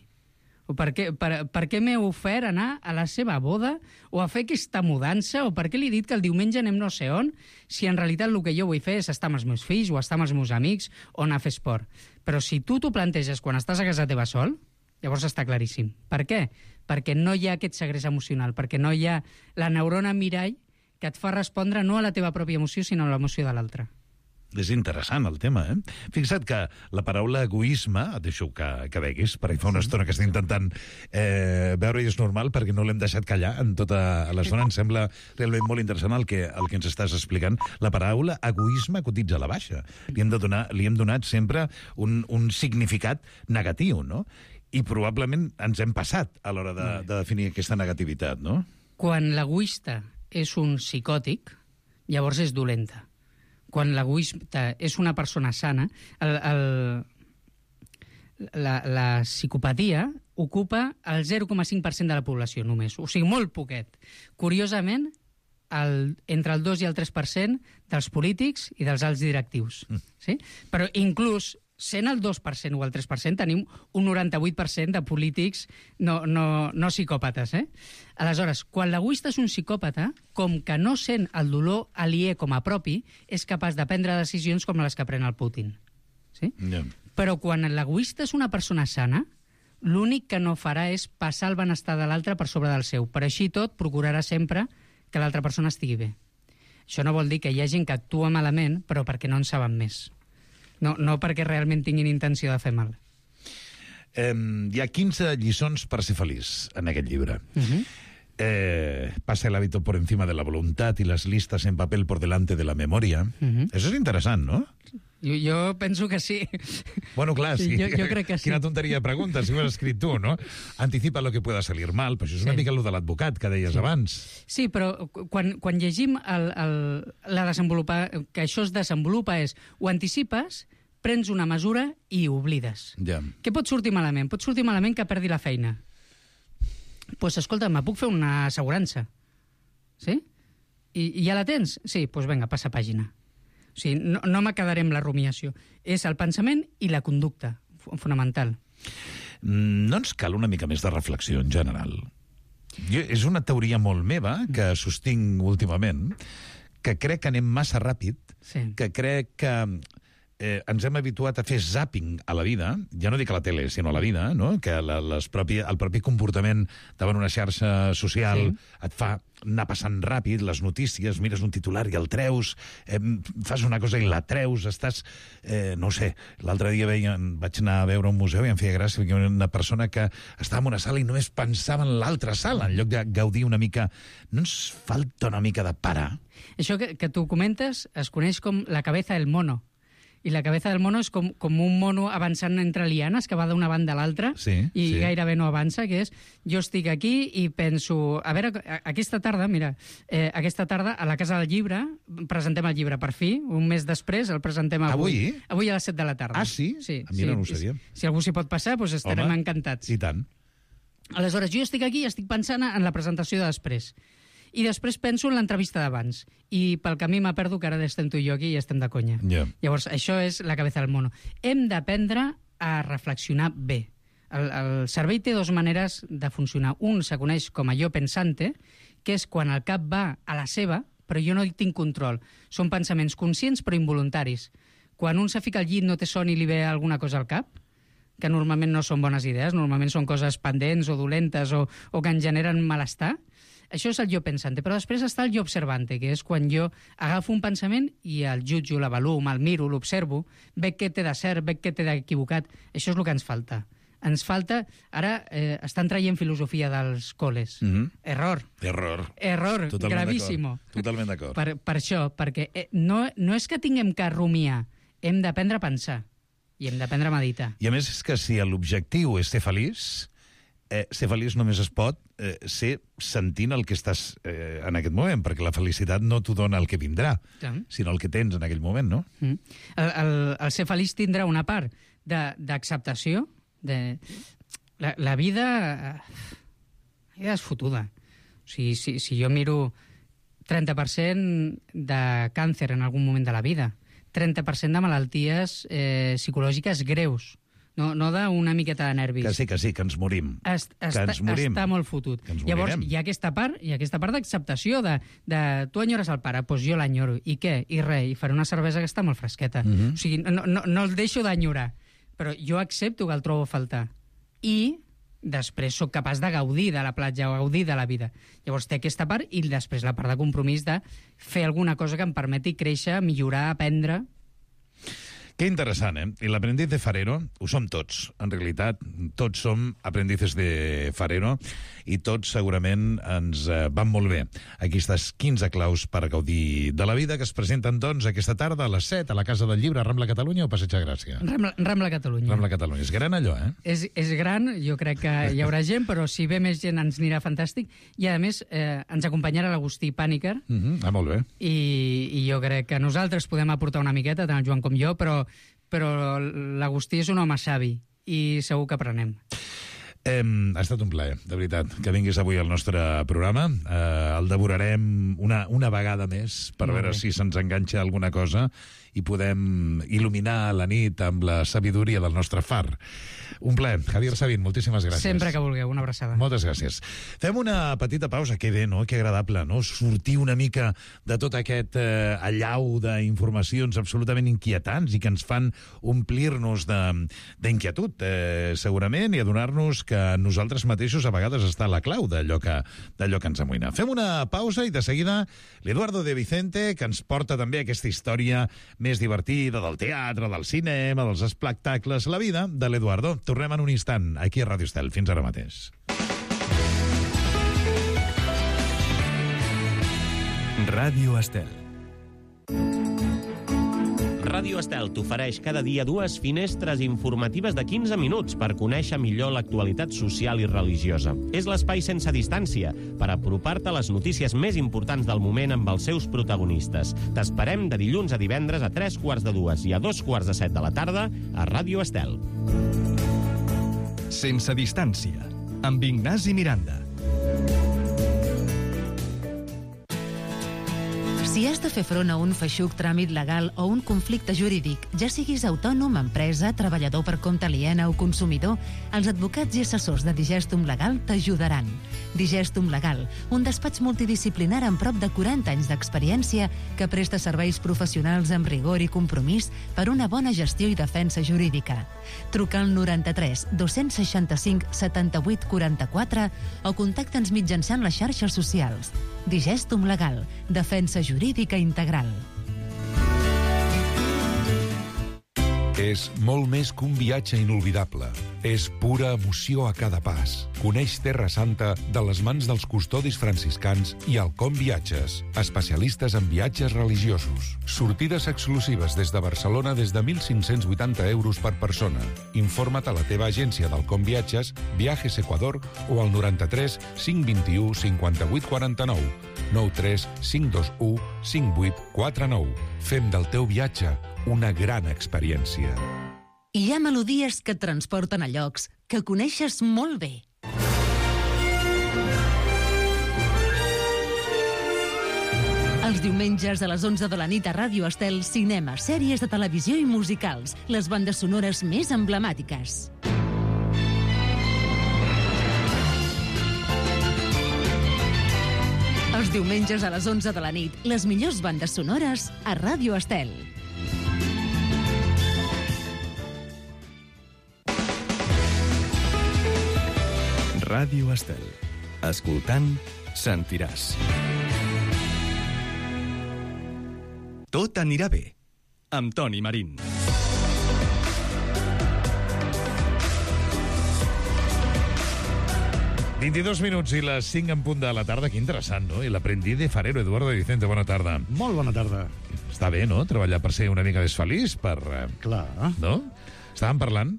O per què, per, per què m'he ofert anar a la seva boda o a fer aquesta mudança, o per què li he dit que el diumenge anem no sé on, si en realitat el que jo vull fer és estar amb els meus fills o estar amb els meus amics o anar a fer esport. Però si tu t'ho planteges quan estàs a casa teva sol, Llavors està claríssim. Per què? Perquè no hi ha aquest segrest emocional, perquè no hi ha la neurona mirall que et fa respondre no a la teva pròpia emoció, sinó a l'emoció de l'altre. És interessant el tema, eh? Fixa't que la paraula egoisme, et deixo que, que veguis, perquè fa una estona que estic intentant eh, veure i és normal perquè no l'hem deixat callar en tota l'estona. Em sembla realment molt interessant el que, el que ens estàs explicant. La paraula egoisme cotitza a la baixa. Li hem, de donar, li hem donat sempre un, un significat negatiu, no? I probablement ens hem passat a l'hora de, de definir aquesta negativitat, no? Quan l'egoista és un psicòtic, llavors és dolenta. Quan l'egoista és una persona sana, el, el, la, la psicopatia ocupa el zero coma cinc per cent de la població només, o sigui, molt poquet. Curiosament, el, entre el dos i el tres per cent dels polítics i dels alts directius. Mm. Sí? Però inclús sent el dos per cent o el tres per cent, tenim un noranta-vuit per cent de polítics no, no, no psicòpates. Eh? Aleshores, quan l'egoista és un psicòpata, com que no sent el dolor aliè com a propi, és capaç de prendre decisions com les que pren el Putin. Sí? Yeah. Però quan l'egoista és una persona sana, l'únic que no farà és passar el benestar de l'altre per sobre del seu. Per així tot, procurarà sempre que l'altra persona estigui bé. Això no vol dir que hi ha gent que actua malament, però perquè no en saben més. No, no perquè realment tinguin intenció de fer mal. Eh, hi ha quinze lliçons per ser feliç en aquest llibre. Uh-huh. eh, pasa el hábito por encima de la voluntad y las listas en papel por delante de la memoria. Uh-huh. Eso es interessant, no? Jo, jo penso que sí. Bueno, clar, sí. Jo, jo crec que sí. Quina tonteria de pregunta, si ho has escrit tu, no? Anticipa lo que pueda salir mal, però això és una sí. mica el de l'advocat que deies sí. abans. Sí, però quan, quan llegim el, el, la desenvolupar, que això es desenvolupa és, ho anticipes, prens una mesura i oblides. Ja. Què pot sortir malament? Pot sortir malament que perdi la feina. Doncs, pues, escolta, me puc fer una assegurança. Sí? I, i ja la tens? Sí, doncs pues vinga, passa pàgina. O sigui, no, no me quedaré amb la rumiació. És el pensament i la conducta, fonamental. No ens cal una mica més de reflexió, en general? Jo, és una teoria molt meva, que sostinc últimament, que crec que anem massa ràpid, sí. que crec que eh, ens hem habituat a fer zapping a la vida, ja no dic a la tele, sinó a la vida, no? Que la, les propi, el propi comportament davant una xarxa social sí. et fa anar passant ràpid, les notícies, mires un titular i el treus, eh, fas una cosa i la treus, estàs... Eh, no ho sé, l'altre dia veia, vaig anar a veure un museu i em feia gràcia perquè una persona que estava en una sala i només pensava en l'altra sala, en lloc de gaudir una mica... No ens falta una mica de parar? Això que, que tu comentes es coneix com la cabeza del mono. I la cabeza del mono és com, com un mono avançant entre lianes que va d'una banda a l'altra sí, i sí. gairebé no avança, que és jo estic aquí i penso, a veure, aquesta tarda, mira, eh, aquesta tarda a la Casa del Llibre presentem el llibre per fi, un mes després el presentem avui. Avui? Avui a les set de la tarda. Ah, sí? Sí. A mi sí, no ho sabia. Si, si algú s'hi pot passar, doncs estarem Home, encantats. I tant. Aleshores, jo estic aquí i estic pensant en la presentació de després. I després penso en l'entrevista d'abans. I pel camí m'ha perdo que ara estem tu i jo aquí i estem de conya. Yeah. Llavors, això és la cabeza del mono. Hem d'aprendre a reflexionar bé. El, el cervell té dues maneres de funcionar. Un se coneix com a jo pensante, que és quan el cap va a la seva, però jo no tinc control. Són pensaments conscients però involuntaris. Quan un se fica al llit no té son i li ve alguna cosa al cap, que normalment no són bones idees, normalment són coses pendents o dolentes o, o que en generen malestar, això és el jo pensante, però després està el jo observante, que és quan jo agafo un pensament i el jutjo, l'avaluo, me'l miro, l'observo, veig què té de cert, veig què té d'equivocat. Això és el que ens falta. Ens falta... Ara eh, estan traient filosofia dels col·les. Mm-hmm. Error. Error. Error, Totalment gravíssimo. D'acord. Totalment d'acord. Per, per això, perquè eh, no, no és que tinguem que rumiar, hem d'aprendre a pensar i hem d'aprendre a meditar. I a més és que si l'objectiu és ser feliç... Eh, ser feliç només es pot eh, ser sentint el que estàs eh, en aquest moment, perquè la felicitat no t'ho dona el que vindrà, sí. sinó el que tens en aquell moment, no? Mm. El, el, el ser feliç tindrà una part d'acceptació, de, de... La, la vida... La vida és fotuda. O sigui, si, si jo miro trenta per cent de càncer en algun moment de la vida, trenta per cent de malalties eh, psicològiques greus, no, no d'una miqueta de nervis. Que sí, que sí, que ens morim. Est, que està, ens morim. Està molt fotut. Llavors, hi ha aquesta part, hi ha aquesta part d'acceptació de, de tu enyores el pare, doncs jo l'enyoro. I què? I res, i faré una cervesa que està molt fresqueta. Mm-hmm. O sigui, no, no, no el deixo d'enyorar, però jo accepto que el trobo a faltar. I després sóc capaç de gaudir de la platja o gaudir de la vida. Llavors té aquesta part i després la part de compromís de fer alguna cosa que em permeti créixer, millorar, aprendre. Que interessant, eh? I l'aprendiz de farero ho som tots. En realitat, tots som aprendices de farero i tots segurament ens eh, van molt bé. Aquestes quinze claus per gaudir de la vida que es presenten, doncs, aquesta tarda a les set a la Casa del Llibre, Rambla Catalunya o Passeig de Gràcia? Rambla, Rambla Catalunya. Rambla Catalunya. És gran allò, eh? És, és gran, jo crec que hi haurà gent, però si ve més gent ens anirà fantàstic. I, a més, eh, ens acompanyarà l'Agustí Pàniker. Mm-hmm. Ah, molt bé. I, I jo crec que nosaltres podem aportar una miqueta, tant el Joan com jo, però però l'Agustí és un home savi i segur que aprenem. Eh, ha estat un plaer, de veritat, que vinguis avui al nostre programa. Eh, el devorarem una, una vegada més per Molt veure bé. si se'ns enganxa alguna cosa i podem il·luminar la nit amb la sabidoria del nostre far. Un plaer. Javier Sabin, moltíssimes gràcies. Sempre que vulgueu, una abraçada. Moltes gràcies. Fem una petita pausa. Que bé, no? Que agradable, no? Sortir una mica de tot aquest eh, allau d'informacions absolutament inquietants i que ens fan omplir-nos d'inquietud, eh, segurament, i adonar-nos que nosaltres mateixos a vegades està la clau d'allò que, d'allò que ens amoïna. Fem una pausa i de seguida l'Eduardo de Vicente, que ens porta també aquesta història més divertida del teatre, del cinema, dels espectacles, la vida de l'Eduardo. Tornem en un instant, aquí a Ràdio Estel. Fins ara mateix. Ràdio Estel. Ràdio Estel t'ofereix cada dia dues finestres informatives de quinze minuts per conèixer millor l'actualitat social i religiosa. És l'espai sense distància per apropar-te a les notícies més importants del moment amb els seus protagonistes. T'esperem de dilluns a divendres a tres quarts de dues i a dos quarts de set de la tarda a Ràdio Estel. Sense distància, amb Ignasi Miranda. Si has de fer front a un feixuc tràmit legal o un conflicte jurídic, ja siguis autònom, empresa, treballador per compte aliena o consumidor, els advocats i assessors de Digestum Legal t'ajudaran. Digestum Legal, un despatx multidisciplinar amb prop de quaranta anys d'experiència que presta serveis professionals amb rigor i compromís per una bona gestió i defensa jurídica. Truca al noranta-tres dos-cents seixanta-cinc setanta-vuit quaranta-quatre o contacta'ns mitjançant les xarxes socials. Digestum Legal, defensa jurídica integral. És molt més que un viatge inolvidable. És pura emoció a cada pas. Coneix Terra Santa de les mans dels custodis franciscans i Alcom Viatges, especialistes en viatges religiosos. Sortides exclusives des de Barcelona des de mil cinc-cents vuitanta euros per persona. Informa't a la teva agència d'Alcom Viatges, Viajes Ecuador o al noranta-tres cinc vint-i-u cinquanta-vuit quaranta-nou. nou tres cinc dos u cinc vuit quatre nou. Fem del teu viatge una gran experiència. Hi ha melodies que et transporten a llocs que coneixes molt bé. Els diumenges a les onze de la nit a Ràdio Estel, cinema, sèries de televisió i musicals, les bandes sonores més emblemàtiques. Els diumenges a les onze de la nit, les millors bandes sonores a Ràdio Estel. Ràdio Estel. Escoltant, sentiràs. Tot anirà bé, amb Toni Marín. vint-i-dos minuts i les cinc en punt de la tarda. Que interessant, no? I l'aprendiz de farero, Eduardo de Vicente. Bona tarda. Molt bona tarda. Està bé, no?, treballar per ser una mica més feliç, per... Clar. No? Estàvem parlant,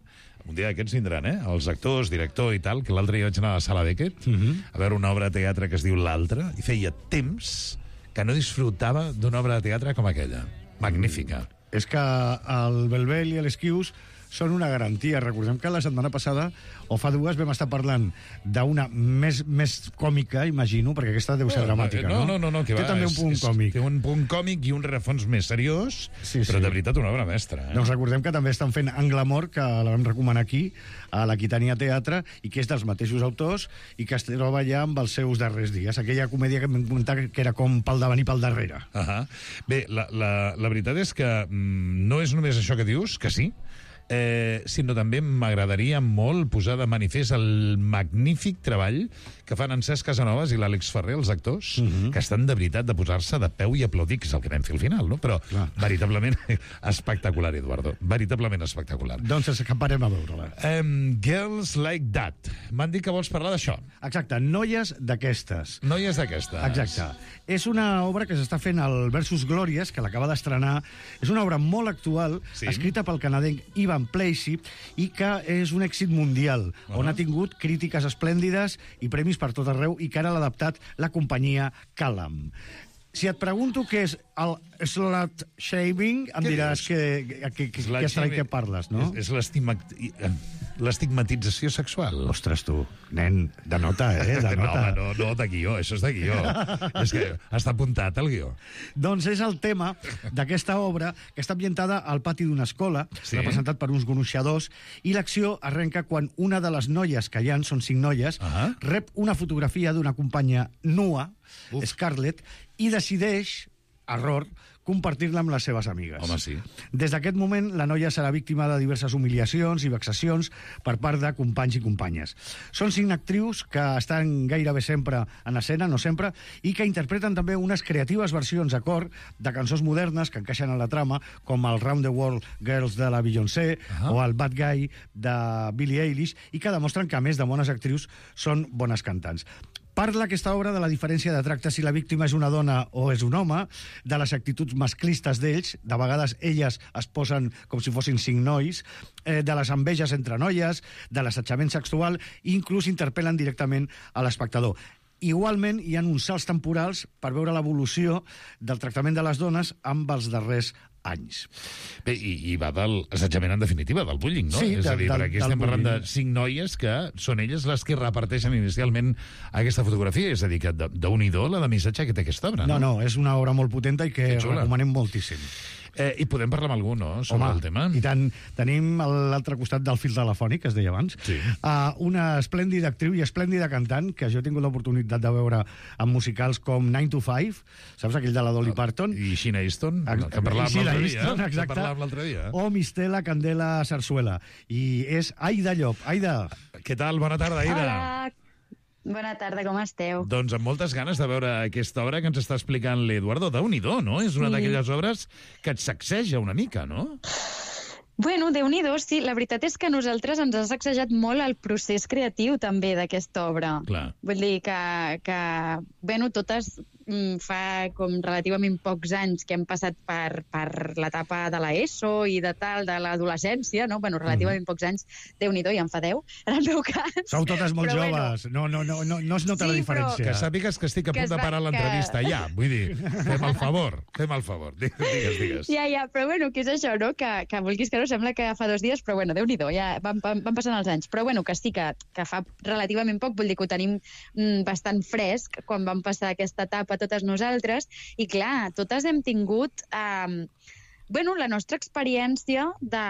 un dia d'aquests vindran, eh?, els actors, director i tal, que l'altre dia vaig anar a la Sala Beckett, uh -huh. a veure una obra de teatre que es diu L'Altre, i feia temps que no disfrutava d'una obra de teatre com aquella. Magnífica. És que el Belbel i l'Esquius són una garantia. Recordem que la setmana passada, o fa dues, vam estar parlant d'una més, més còmica, imagino, perquè aquesta deu ser no, dramàtica, no? no? No, no, no, que té va, també un és, punt és, còmic. Té un punt còmic i un rerefons més seriós, sí, però sí. de veritat una obra mestra. Eh? Doncs recordem que també estan fent Anglamor, que la vam recomanar aquí, a l'Aquitània Teatre, i que és dels mateixos autors, i que es troba ja amb els seus darrers dies. Aquella comèdia que vam comentar que era com pel davant i pel darrere. Uh -huh. Bé, la, la, la veritat és que mm, no és només això que dius, que sí, eh, sinó també m'agradaria molt posar de manifest el magnífic treball que fan en Cesc Casanovas i l'Àlex Ferrer, els actors, uh-huh. que estan de veritat de posar-se de peu i aplaudir, que és el que vam fer al final, no? Però clar, veritablement espectacular, Eduardo. Veritablement espectacular. Doncs escaparem a veure-la. Um, Girls Like That. M'han dit que vols parlar d'això. Exacte, Noies d'aquestes. Noies d'aquestes. Exacte. És una obra que s'està fent al Versus Glòries, que l'acaba d'estrenar. És una obra molt actual, sí, escrita pel canadenc Ivan Placey, i que és un èxit mundial, uh-huh. on ha tingut crítiques esplèndides i premis per tot arreu, i que ara l'ha adaptat la companyia Callum. Si et pregunto què és el slut shaming, em diràs que, que, que, que estrany que parles, no? És, és l'estigmatització sexual. Ostres, tu, nen, de nota, eh? De nota. No, no, no, de guió, això és de guió. És que està apuntat al guió. Doncs és el tema d'aquesta obra, que està ambientada al pati d'una escola, sí, representat per uns gronxadors, i l'acció arrenca quan una de les noies, que hi ha, són cinc noies, uh-huh. rep una fotografia d'una companya nua, Uf. Scarlett, i decideix, error, compartir-la amb les seves amigues. Home, sí. Des d'aquest moment, la noia serà víctima de diverses humiliacions i vexacions per part de companys i companyes. Són cinc actrius que estan gairebé sempre en escena, no sempre, i que interpreten també unes creatives versions a cor de cançons modernes que encaixen en la trama, com el Round the World Girls de la Beyoncé uh-huh. o el Bad Guy de Billie Eilish, i que demostren que, a més de bones actrius, són bones cantants. Parla aquesta obra de la diferència de tracte si la víctima és una dona o és un home, de les actituds masclistes d'ells, de vegades elles es posen com si fossin cinc nois, eh, de les enveges entre noies, de l'assetjament sexual, i inclús interpel·len directament a l'espectador. Igualment, hi ha uns salts temporals per veure l'evolució del tractament de les dones amb els darrers anys. Bé, i, i va del assetjament en definitiva, del bullying, no? Sí, és a dir, del, per aquí estem parlant bullying. de cinc noies que són elles les que reparteixen inicialment aquesta fotografia, és a dir, que d'un-i-do la de missatge que té aquesta obra, no? No, no, és una obra molt potenta i que recomanem moltíssim. Eh, I podem parlar amb algú, no?, sobre Home, el tema. I tant. Tenim a l'altre costat del fil telefònic, que es deia abans, sí. uh, una esplèndida actriu i esplèndida cantant, que jo he tingut l'oportunitat de veure en musicals com nine to five, saps, aquell de la Dolly Parton? I Sheena Easton, que parlàvem l'altre dia. Easton, exacte. Que parlàvem l'altre dia. O Mistela Candela Sarsuela. I és Aida Llop. Aida. Què tal? Bona tarda, Aida. Hola. Bona tarda, com esteu? Doncs amb moltes ganes de veure aquesta obra que ens està explicant l'Eduardo. Déu-n'hi-do, no? És una sí. d'aquelles obres que et sacseja una mica, no? Bueno, Déu-n'hi-do, sí. La veritat és que a nosaltres ens ha sacsejat molt el procés creatiu també d'aquesta obra. Clar. Vull dir que, que bueno, totes mm, fa com relativament pocs anys que hem passat per, per l'etapa de l'ESO i de tal, de l'adolescència, no? Bueno, relativament mm. pocs anys. Déu-n'hi-do, ja em fa deu, en el meu cas. Sou totes molt però, joves. Bueno, no, no, no, no es nota sí, la diferència. Però... Que sàpigues que estic a punt de parar l'entrevista, que... ja. Vull dir, fem el favor, fem el favor. Digues, digues. Ja, ja, però bueno, que és això, no? Que, que vulguis que no, sembla que fa dos dies, però bueno, Déu-n'hi-do, ja van, van, van passant els anys. Però bueno, que sí, que, que fa relativament poc, vull dir que ho tenim mm, bastant fresc quan vam passar aquesta etapa totes nosaltres, i clar, totes hem tingut eh, bueno, la nostra experiència de,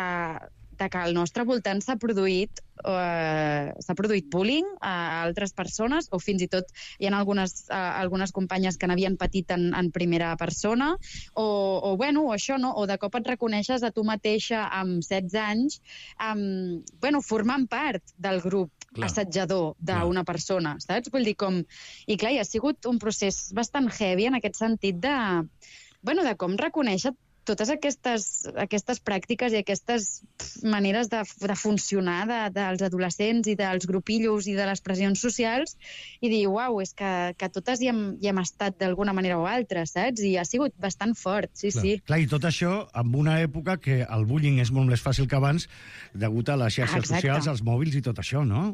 de que al nostre voltant s'ha produït eh, s'ha produït bullying a altres persones, o fins i tot hi ha algunes, eh, algunes companyes que n'havien patit en, en primera persona, o, o bueno, o això, no? O de cop et reconeixes a tu mateixa amb setze anys amb, bueno, formant part del grup clar. Assetjador d'una persona, saps? Vull dir, com... I clar, hi ha sigut un procés bastant heavy en aquest sentit de, bueno, de com reconèixer totes aquestes, aquestes pràctiques i aquestes maneres de, de funcionar de, dels adolescents i dels grupillos i de les pressions socials, i dir, uau, és que, que totes hi hem, hi hem estat d'alguna manera o altra, saps? I ha sigut bastant fort, sí, clar. sí. Clar, i tot això en una època que el bullying és molt més fàcil que abans, degut a les xarxes Exacte. socials, als mòbils i tot això, no?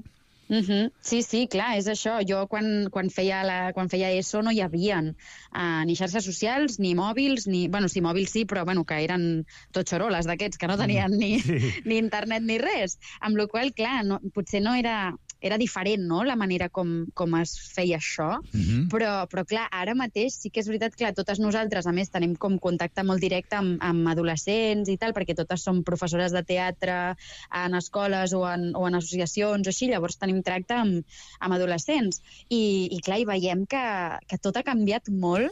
Uh-huh. Sí, sí, clar, és això. Jo quan, quan, feia, la, quan feia ESO no hi havia uh, ni xarxes socials, ni mòbils, ni... Bueno, sí, mòbils sí, però bueno, que eren tot xoroles d'aquests, que no tenien ni, sí. ni internet ni res. Amb la qual cosa, clar, no, potser no era... Era diferent, no?, la manera com, com es feia això, uh-huh. però, però clar, ara mateix sí que és veritat que totes nosaltres, a més, tenim com contacte molt directe amb, amb adolescents i tal, perquè totes som professores de teatre en escoles o en, o en associacions o així, llavors tenim tracte amb, amb adolescents. I, i clar, hi veiem que, que tot ha canviat molt.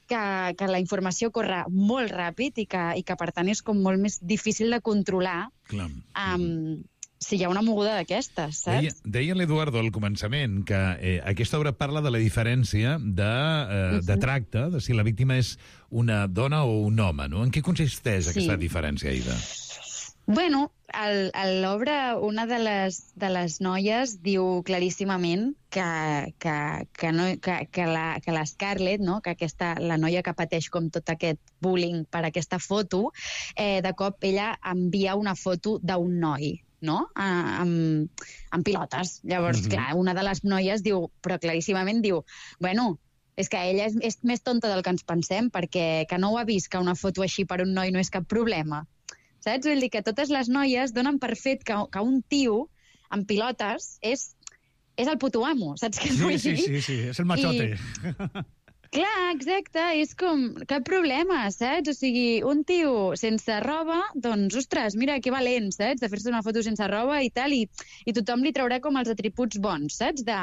que, que la informació corre molt ràpid i que, i que per tant és com molt més difícil de controlar. Clar. Um, si hi ha una moguda d'aquestes, saps? Deia, deia l'Eduardo al començament que eh, aquesta obra parla de la diferència de, eh, de tracte, de si la víctima és una dona o un home, no? En què consisteix Sí. aquesta diferència, Aida? Bueno, al- a l'obra una de les, de les noies diu claríssimament que, que, que, no, que, que, la, que la Scarlett, no? que aquesta, la noia que pateix com tot aquest bullying per aquesta foto, eh, de cop ella envia una foto d'un noi, no? A, amb, amb pilotes. Llavors, Mhm. clar, una de les noies diu, però claríssimament diu, bueno, és que ella és, és més tonta del que ens pensem, perquè que no ho ha vist, que una foto així per un noi no és cap problema. Saps? Vull dir que totes les noies donen per fet que, que un tio amb pilotes és, és el puto amo, saps què et vull Sí, dir? sí, sí, sí, és el machote. I, clar, exacte, és com, cap problema, saps? O sigui, un tio sense roba, doncs, ostres, mira que valent, saps? De fer-se una foto sense roba i tal, i, i tothom li traurà com els atributs bons, saps? De,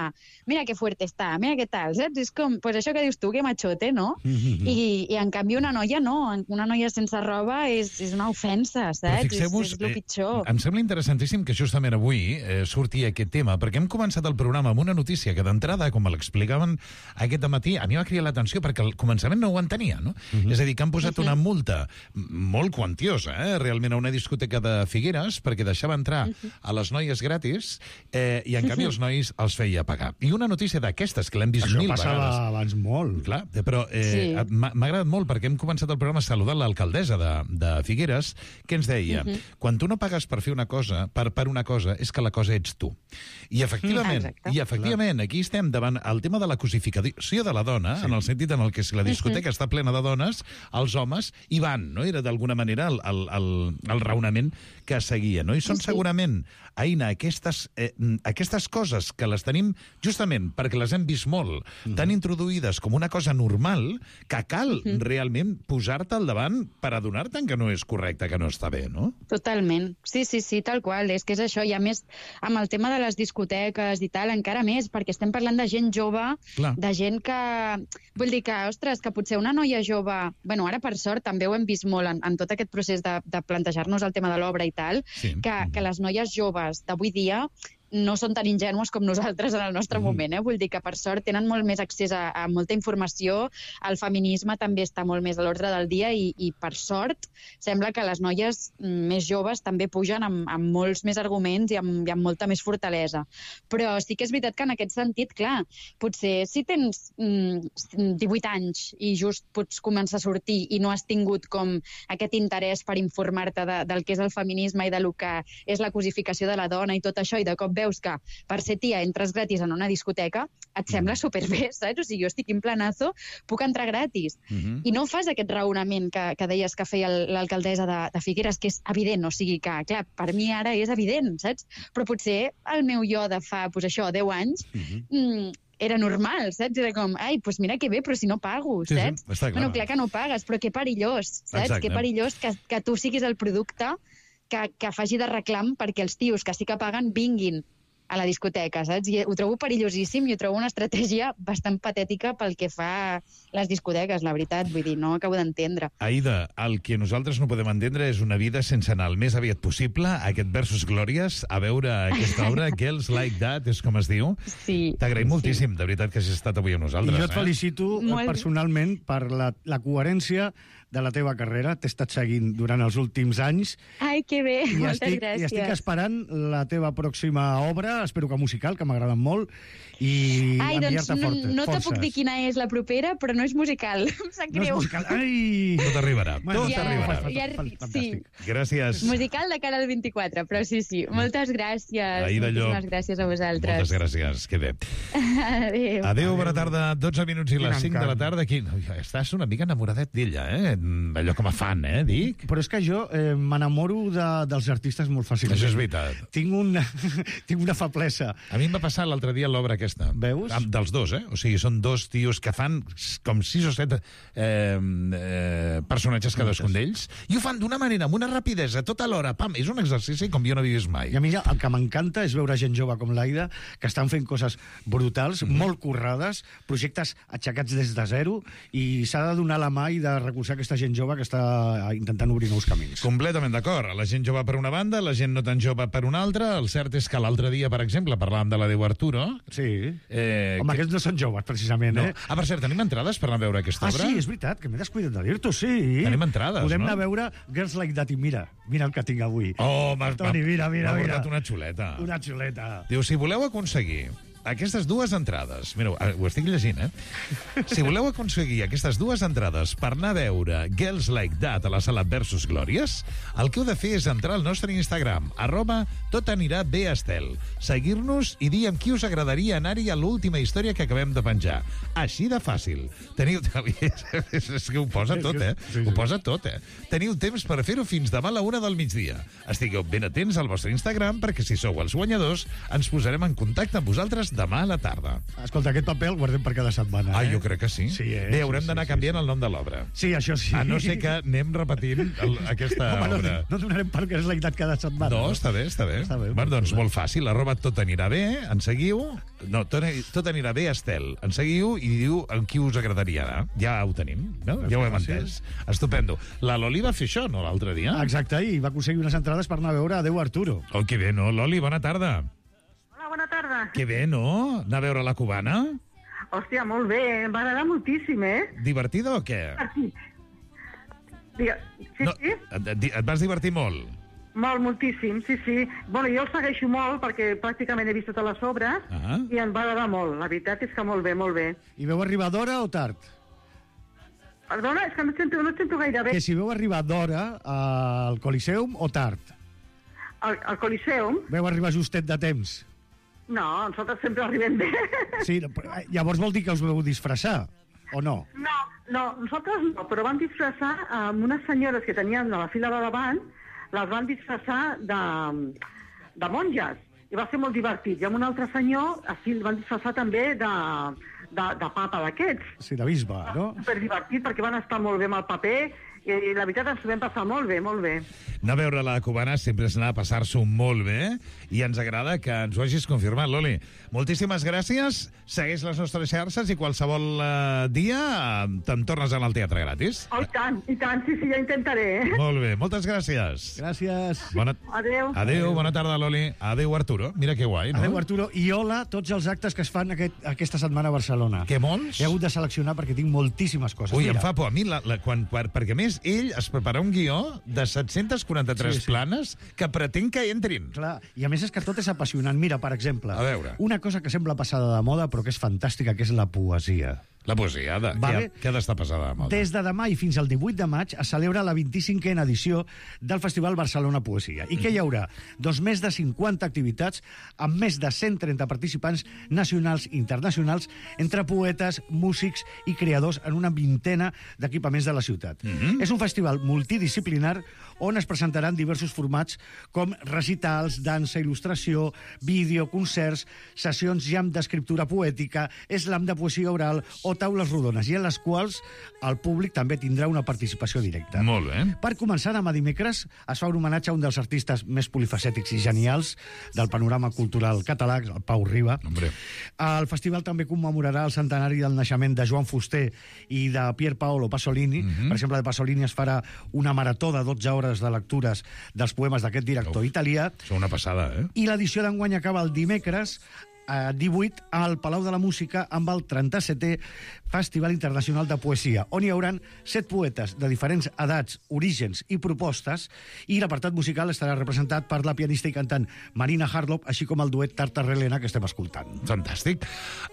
mira que fuerte està, mira que tal, saps? És com, pues això que dius tu, que machote, no? I, i en canvi una noia no, una noia sense roba és, és una ofensa, Però saps? És, fixeu-vos, és el pitjor. eh, em sembla interessantíssim que justament avui eh, surti aquest tema, perquè hem començat el programa amb una notícia que d'entrada, com l'explicaven aquest matí, a mi va cridar l'atenció perquè al començament no ho entenia, no? Mhm. És a dir, que han posat una multa molt quantiosa, eh, realment, a una discoteca de Figueres perquè deixava entrar a les noies gratis eh, i, en canvi, els nois els feia pagar. I una notícia d'aquestes, que l'hem vist Això mil passava vegades. abans molt. Clar, però eh, Sí. m'ha m'ha agradat molt perquè hem començat el programa saludant l'alcaldessa de, de Figueres, que ens deia, Mhm. quan tu no pagues per fer una cosa, per, per una cosa, és que la cosa ets tu. I efectivament, Exacte. i efectivament aquí estem davant el tema de la cosificació de la dona, sí. en el sentit en el que si la discoteca està plena de dones, els homes hi van, no? Era d'alguna manera el, el, el, el raonament que seguia, no? I són segurament, Aina, aquestes, eh, aquestes coses que les tenim justament perquè les hem vist molt, tan introduïdes com una cosa normal, que cal realment posar-te al davant per adonar-te'n que no és correcte, que no està bé, no? Totalment. Sí, sí, sí, tal qual. És que és això. I a més, amb el tema de les discoteques i tal, encara més, perquè estem parlant de gent jove, Clar. de gent que... Vull dir que, ostres, que potser una noia jove... Bueno, ara, per sort, també ho hem vist molt en, en tot aquest procés de, de plantejar-nos el tema de l'obra i tal, Sí. que, que les noies joves d'avui dia no són tan ingènues com nosaltres en el nostre moment, eh? Vull dir que, per sort, tenen molt més accés a, a molta informació, el feminisme també està molt més a l'ordre del dia i, i, per sort, sembla que les noies més joves també pugen amb, amb molts més arguments i amb, i amb molta més fortalesa. Però sí que és veritat que en aquest sentit, clar, potser si tens mm, divuit anys i just pots començar a sortir i no has tingut com aquest interès per informar-te de, del que és el feminisme i de lo que és la cosificació de la dona i tot això, i de cop veus que per ser tia entres gratis en una discoteca, et sembla superbé, saps? O sigui, jo estic en planazo, puc entrar gratis. Mhm. I no fas aquest raonament que, que deies que feia el- l'alcaldessa de, de Figueres, que és evident, o sigui que, clar, per mi ara és evident, saps? Però potser el meu jo de fa, doncs això, deu anys, mm, era normal, saps? Era com, ai, doncs mira que bé, però si no pago, Sí, sí, saps? està clar. Bueno, clar que no pagues, però que perillós, saps? Exacte. Que perillós que, que tu siguis el producte que, que faci de reclam perquè els tios que sí que paguen vinguin a la discoteca, saps? I ho trobo perillosíssim i ho trobo una estratègia bastant patètica pel que fa les discoteques, la veritat. Vull dir, no ho acabo d'entendre. Aida, el que nosaltres no podem entendre és una vida sense anar el més aviat possible a aquest Versus Glòries, a veure aquesta obra, Girls Like That, és com es diu. Sí. T'agraïm moltíssim, de veritat, que hagis estat avui amb nosaltres. I jo et felicito Molt eh, bé. personalment per la, la coherència de la teva carrera. T'he estat seguint durant els últims anys Ai, que bé, i moltes estic, gràcies. i estic esperant la teva pròxima obra, espero que musical, que m'agraden molt, i Ai, doncs enviar-te no, fortes, no te forces. puc dir quina és la propera, però no és musical. Em sap No és greu. musical. Ai! Tot arribarà, Bueno, tot ja, arribarà. ja, sí, Gràcies. musical de cara al vint-i-quatre, però sí, sí. Moltes gràcies. Aida Llop. Moltíssimes gràcies a vosaltres. Moltes gràcies, que bé. Adéu. Adéu, bona tarda, dotze minuts i Quin les cinc de la encant. tarda. Aquí, estàs una mica enamoradet d'ella, eh? Allò com a fan, eh, dic? Però és que jo eh, m'enamoro de, dels artistes molt fàcilment. Això és veritat. Tinc, un, tinc una feblesa. A mi em va passar l'altre dia l'obra aquesta. Veus? Amb, dels dos, eh? O sigui, són dos tios que fan com sis o set eh, eh, personatges cadascun d'ells, i ho fan d'una manera, amb una rapidesa, tota l'hora. Pam, és un exercici com jo no he vist mai. I a mi el que m'encanta és veure gent jove com l'Aida, que estan fent coses brutals, mm. molt currades, projectes aixecats des de zero, i s'ha de donar la mà i de recolzar aquesta gent jove que està intentant obrir nous camins. Completament d'acord. La gent jove per una banda, la gent no tan jove per una altra. El cert és que l'altre dia, per exemple, parlàvem de la Déu Arturo. Sí. Eh, Home, que... aquests no són joves, precisament, no. eh? Ah, per cert, tenim entrades per anar a veure aquesta ah, obra? Ah, sí, és veritat, que m'he descuidat de dir-t'ho, sí. Tenim entrades, Podem no? anar a veure Girls Like That, i mira, mira el que tinc avui. Oh, m'ha Toni, mira, mira, m'ha mira. portat una xuleta. Una xuleta. Diu, si voleu aconseguir aquestes dues entrades... Mira, ho estic llegint, eh? Si voleu aconseguir aquestes dues entrades per anar a veure Girls Like That a la sala Versus Glòries, el que heu de fer és entrar al nostre Instagram, arroba tot anirà bé Estel, seguir-nos i dir amb qui us agradaria anar-hi a l'última història que acabem de penjar. Així de fàcil. Teniu... és que ho posa tot, eh? Ho posa tot, eh? Teniu temps per fer-ho fins demà a la una del migdia. Estigueu ben atents al vostre Instagram perquè si sou els guanyadors ens posarem en contacte amb vosaltres demà a la tarda. Escolta, aquest paper el guardem per cada setmana. Ah, eh? jo crec que sí. sí eh? Bé, haurem sí, d'anar sí, canviant sí. el nom de l'obra. Sí, això sí. A no ser que anem repetint el, aquesta Home, obra. No, no donarem per Girls Like That cada setmana. No, està bé, està bé. Està bé bueno, doncs molt fàcil, arroba tot anirà bé, ens seguiu. No, tot, tot anirà bé, Estel. Ens seguiu i diu amb qui us agradaria anar. Ja ho tenim, no? Ja ho hem entès. Estupendo. La Loli va fer això, no, l'altre dia? Exacte, i va aconseguir unes entrades per anar a veure Adéu Arturo. Oh, que bé, no? Loli, bona tarda. Hola, bona tarda. Que bé, no? Anar a veure la cubana? Hòstia, molt bé, em va agradar moltíssim, eh? Divertida o què? Sí. Digue... Sí, no, sí? Et, et vas divertir molt? Molt, moltíssim, sí, sí. Bueno, jo el segueixo molt perquè pràcticament he vist totes les obres ah. i em va agradar molt. La veritat és que molt bé, molt bé. I veu arribar d'hora o tard? Perdona, és que no et sento, no et sento gaire bé. Que si veu arribar d'hora al Coliseum o tard? Al, al Coliseum? Veu arribar justet de temps? No, nosaltres sempre arribem bé. Sí, llavors vol dir que us veu disfressar, o no? No, no, nosaltres no, però vam disfressar amb unes senyores que tenien a la fila de davant, les van disfressar de, de monges, i va ser molt divertit. I amb un altre senyor, així el van disfressar també de, de, de papa d'aquests. Sí, de bisbe, no? Super divertit, perquè van estar molt bé amb el paper, i la veritat ens ho vam passar molt bé, molt bé. Anar a veure la cubana sempre és anar a passar-s'ho molt bé, i ens agrada que ens ho hagis confirmat, Loli. Moltíssimes gràcies, segueix les nostres xarxes i qualsevol uh, dia uh, te'n tornes al teatre gratis. Oh, i tant, i tant, sí, sí, ja intentaré. Molt bé, moltes gràcies. Gràcies. Bona... Adéu. Adéu, bona tarda, Loli. Adéu, Arturo. Mira que guai, no? Adéu, Arturo. I hola tots els actes que es fan aquest, aquesta setmana a Barcelona. Que molts? He hagut de seleccionar perquè tinc moltíssimes coses. Ui, Mira. em fa por a mi, la, la, quan, per, perquè a més ell es prepara un guió de set-cents quaranta-tres sí, sí. planes que pretén que entrin. Clar, i a més és que tot és apassionant. Mira, per exemple, a veure. una cosa que sembla passada de moda però que és fantàstica, que és la poesia. La poesia, de, vale? que, que ha d'estar passada de moda. Des de demà i fins al divuit de maig es celebra la vint-i-cinquena edició del Festival Barcelona Poesia. I què hi haurà? Doncs més de cinquanta activitats amb més de cent trenta participants nacionals i internacionals entre poetes, músics i creadors en una vintena d'equipaments de la ciutat. Mm-hmm. És un festival multidisciplinar on es presentaran diversos formats com recitals, dansa, il·lustració, vídeo, concerts, sessions jam d'escriptura poètica, slam de poesia oral o taules rodones, i en les quals el públic també tindrà una participació directa. Molt bé. Per començar, demà dimecres es fa un homenatge a un dels artistes més polifacètics i genials del panorama cultural català, el Pau Riba. Hombre. El festival també commemorarà el centenari del naixement de Joan Fuster i de Pier Paolo Pasolini. Mm-hmm. Per exemple, de Pasolini es farà una marató de dotze hores de lectures dels poemes d'aquest director Uf, italià. És una passada, eh? I l'edició d'enguany acaba el dimecres eh, divuit al Palau de la Música amb el trenta-setè Festival Internacional de Poesia, on hi hauran set poetes de diferents edats, orígens i propostes, i l'apartat musical estarà representat per la pianista i cantant Marina Harlow, així com el duet Tartar-Relena que estem escoltant. Fantàstic.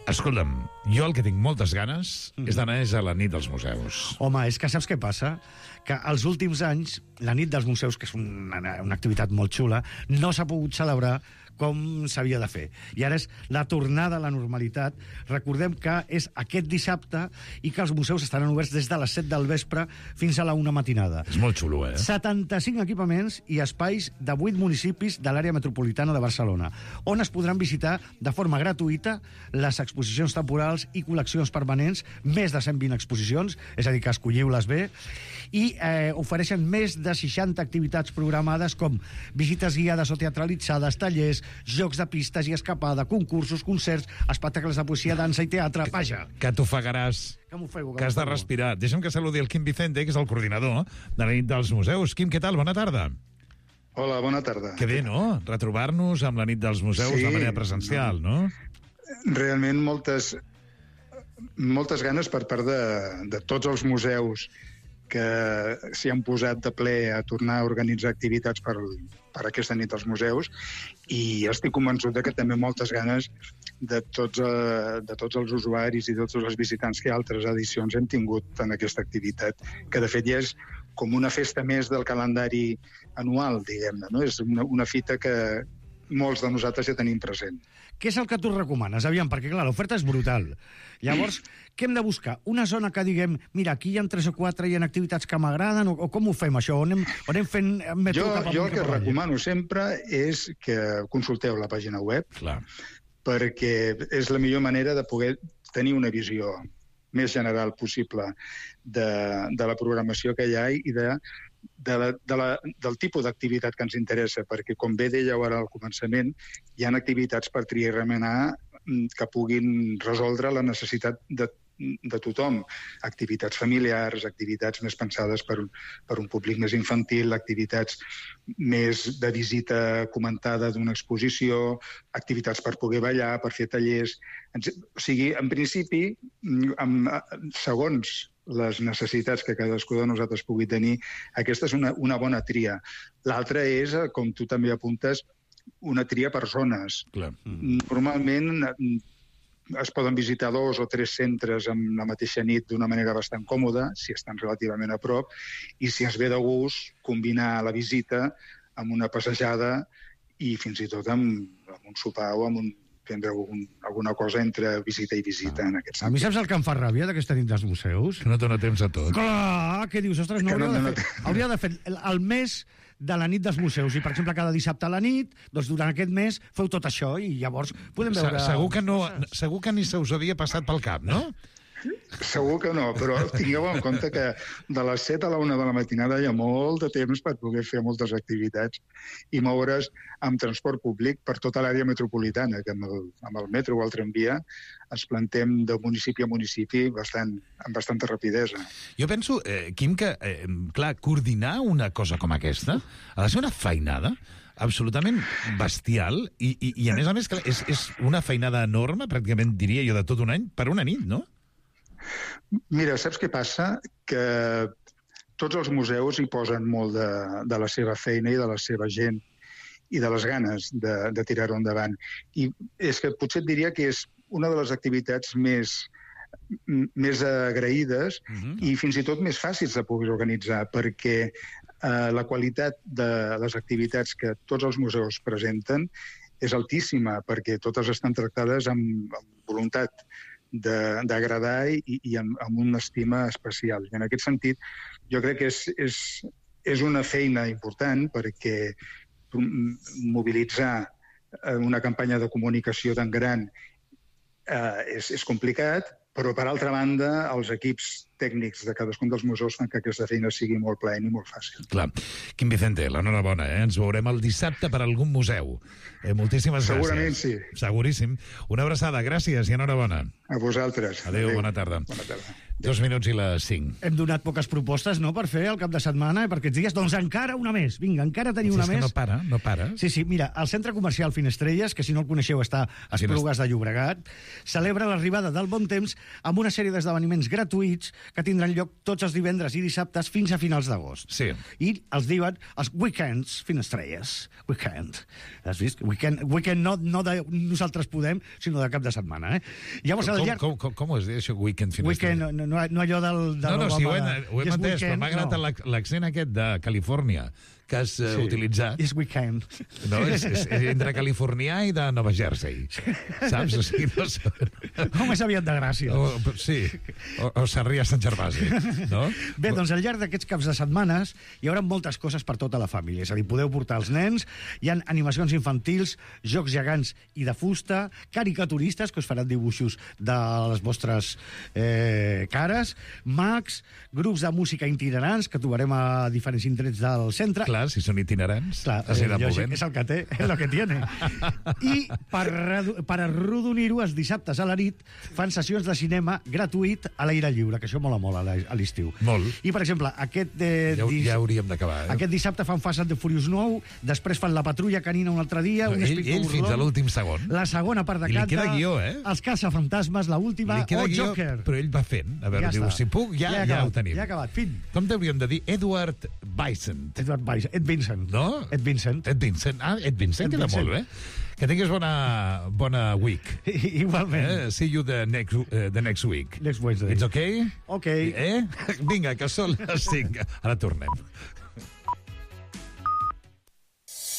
Escolta'm, jo el que tinc moltes ganes mm. és d'anar a la nit dels museus. Home, és que saps què passa? Que els últims anys, la nit dels museus, que és una, una activitat molt xula, no s'ha pogut celebrar com s'havia de fer. I ara és la tornada a la normalitat. Recordem que és aquest dissabte i que els museus estaran oberts des de les set del vespre fins a la una matinada. És molt xulo, eh? setanta-cinc equipaments i espais de vuit municipis de l'àrea metropolitana de Barcelona, on es podran visitar de forma gratuïta les exposicions temporals i col·leccions permanents, més de cent vint exposicions, és a dir, que escolliu-les bé, i eh, ofereixen més de seixanta activitats programades com visites guiades o teatralitzades, tallers, jocs de pistes i escapada, concursos, concerts, espectacles de poesia, dansa i teatre. Vaja! Que t'ofegaràs. Que m'ofego. Que has de respirar. Deixa'm que saludi el Quim Vicente, que és el coordinador de la nit dels museus. Quim, què tal? Bona tarda. Hola, bona tarda. Que bé, no? Retrobar-nos amb la nit dels museus sí, de manera presencial, no? Realment moltes, moltes ganes per part de, de tots els museus que s'hi han posat de ple a tornar a organitzar activitats per, per aquesta nit als museus, i estic convençut de que també moltes ganes de tots, eh, de tots els usuaris i de tots els visitants que altres edicions hem tingut en aquesta activitat, que de fet ja és com una festa més del calendari anual, diguem-ne, no? És una, una fita que molts de nosaltres ja tenim present. Què és el que tu recomanes? Aviam, perquè clar, l'oferta és brutal. Llavors, què hem de buscar? Una zona que diguem, mira, aquí hi ha tres o quatre, hi ha activitats que m'agraden, o, o com ho fem, això? On anem, on anem fent metro jo, cap amunt? Jo el que recomano sempre és que consulteu la pàgina web, clar, perquè és la millor manera de poder tenir una visió més general possible de, de la programació que hi ha i de De la, de la, del tipus d'activitat que ens interessa, perquè, com bé dèieu ara al començament, hi ha activitats per triar i remenar que puguin resoldre la necessitat de, de tothom. Activitats familiars, activitats més pensades per, per un públic més infantil, activitats més de visita comentada d'una exposició, activitats per poder ballar, per fer tallers. O sigui, en principi, amb, segons les necessitats que cadascú de nosaltres pugui tenir, aquesta és una, una bona tria. L'altra és, com tu també apuntes, una tria per zones. Clar. Normalment es poden visitar dos o tres centres en la mateixa nit d'una manera bastant còmoda, si estan relativament a prop, i si es ve de gust, combinar la visita amb una passejada i fins i tot amb, amb un sopar o amb un prendre algun, alguna cosa entre visita i visita, ah. en aquest sentit. A mi saps el que em fa ràbia d'aquesta nit dels museus? Que no dona temps a tot. Clar, què dius? Ostres, no, hauria, no, no, de fer, hauria de fer el, el mes de la nit dels museus, i per exemple cada dissabte a la nit, doncs durant aquest mes feu tot això i llavors podem veure... Segur que, no, segur que ni se us havia passat pel cap, no? Segur que no, però tingueu en compte que de les set a la una de la matinada hi ha molt de temps per poder fer moltes activitats i moure's amb transport públic per tota l'àrea metropolitana, que amb el, amb el metro o el tramvia ens plantem de municipi a municipi bastant, amb bastanta rapidesa. Jo penso, eh, Quim, que, eh, clar, coordinar una cosa com aquesta ha de ser una feinada absolutament bestial i, i, i a més a més, clar, és, és una feinada enorme, pràcticament diria jo, de tot un any, per una nit, no? Mira, saps què passa? Que tots els museus hi posen molt de, de la seva feina i de la seva gent i de les ganes de, de tirar-ho endavant. I és que potser et diria que és una de les activitats més, més agraïdes uh-huh. i fins i tot més fàcils de poder organitzar, perquè eh, la qualitat de les activitats que tots els museus presenten és altíssima, perquè totes estan tractades amb, amb voluntat d'agradar i, i amb, amb una estima especial. I en aquest sentit, jo crec que és, és, és una feina important perquè mobilitzar una campanya de comunicació tan gran eh, és, és complicat, però, per altra banda, els equips tècnics de cadascun dels museus fan que aquesta feina sigui molt plaent i molt fàcil. Clar. Quim Vicente, l'enhorabona, eh? Ens veurem el dissabte per algun museu. Eh, moltíssimes Segurament gràcies. Segurament sí. Seguríssim. Una abraçada, gràcies i enhorabona. A vosaltres. Adéu, Adéu. Bona tarda. Bona tarda. Dos minuts i les cinc. Hem donat poques propostes, no?, per fer el cap de setmana i per aquests dies. Doncs encara una més. Vinga, encara teniu una és més. Que no para, no para. Sí, sí, mira, el Centre Comercial Finestrelles, que si no el coneixeu està a Esplugues de Llobregat, celebra l'arribada del bon temps amb una sèrie d'esdeveniments gratuïts que tindran lloc tots els divendres i dissabtes fins a finals d'agost. Sí. I els diuen els weekends Finestrelles. Weekend. Has vist? Weekend, weekend no, no de nosaltres podem, sinó de cap de setmana, eh? Llavors, com, llarg... com, com, com es diu això, weekend Finestrelles? Weekend, no, no, no allò del... De no, no, sí, ho he, ho he yes, entès, weekend, però m'ha agradat no. l'accent aquest de Califòrnia, que has uh, Sí. utilitzat. Yes, we can. No, és, és, és entre californià i de Nova Jersey. Saps? O sigui, no sé. O més aviat de Gràcia. O, sí, o, o Sarrià Sant Gervasi, no? Bé, doncs al llarg d'aquests caps de setmanes hi haurà moltes coses per tota la família. És a dir, podeu portar els nens, hi ha animacions infantils, jocs gegants i de fusta, caricaturistes, que us faran dibuixos de les vostres eh, cares, mags, grups de música itinerants, que trobarem a diferents indrets del centre. Clar, si són itinerants, Clar, es eh, aniran lògic, movent. és el que té, és el que tiene. I per, redu- per arrodonir-ho, els dissabtes a la nit fan sessions de cinema gratuït a l'aire lliure, que això mola molt a l'e- a l'estiu. Molt. I, per exemple, aquest, eh, Ja, dis- ja hauríem d'acabar, eh? aquest dissabte fan Fast and the Furious nou, després fan La Patrulla Canina un altre dia, No, un ell, Inspector ell fins Gordon, a l'últim segon. la segona part de I li Canta, queda guió, eh? Els caçafantasmes, la última, Li queda o guió, Joker. però ell va fent. A veure, Ja diu, està. si puc, ja, Ja he ja, acabat, ho tenim. ja he acabat, fin. Com t'hauríem de dir? Edward Bison. Edward Bison. Ed Vincent. No? Ed Vincent. Ed Vincent. Ah, Ed Vincent Ed queda Vincent. molt bé. Que tinguis bona, bona week. Igualment. Eh? See you the next, uh, the next week. Next Wednesday. It's okay? Ok. Eh? Vinga, que són les cinc. Ara tornem.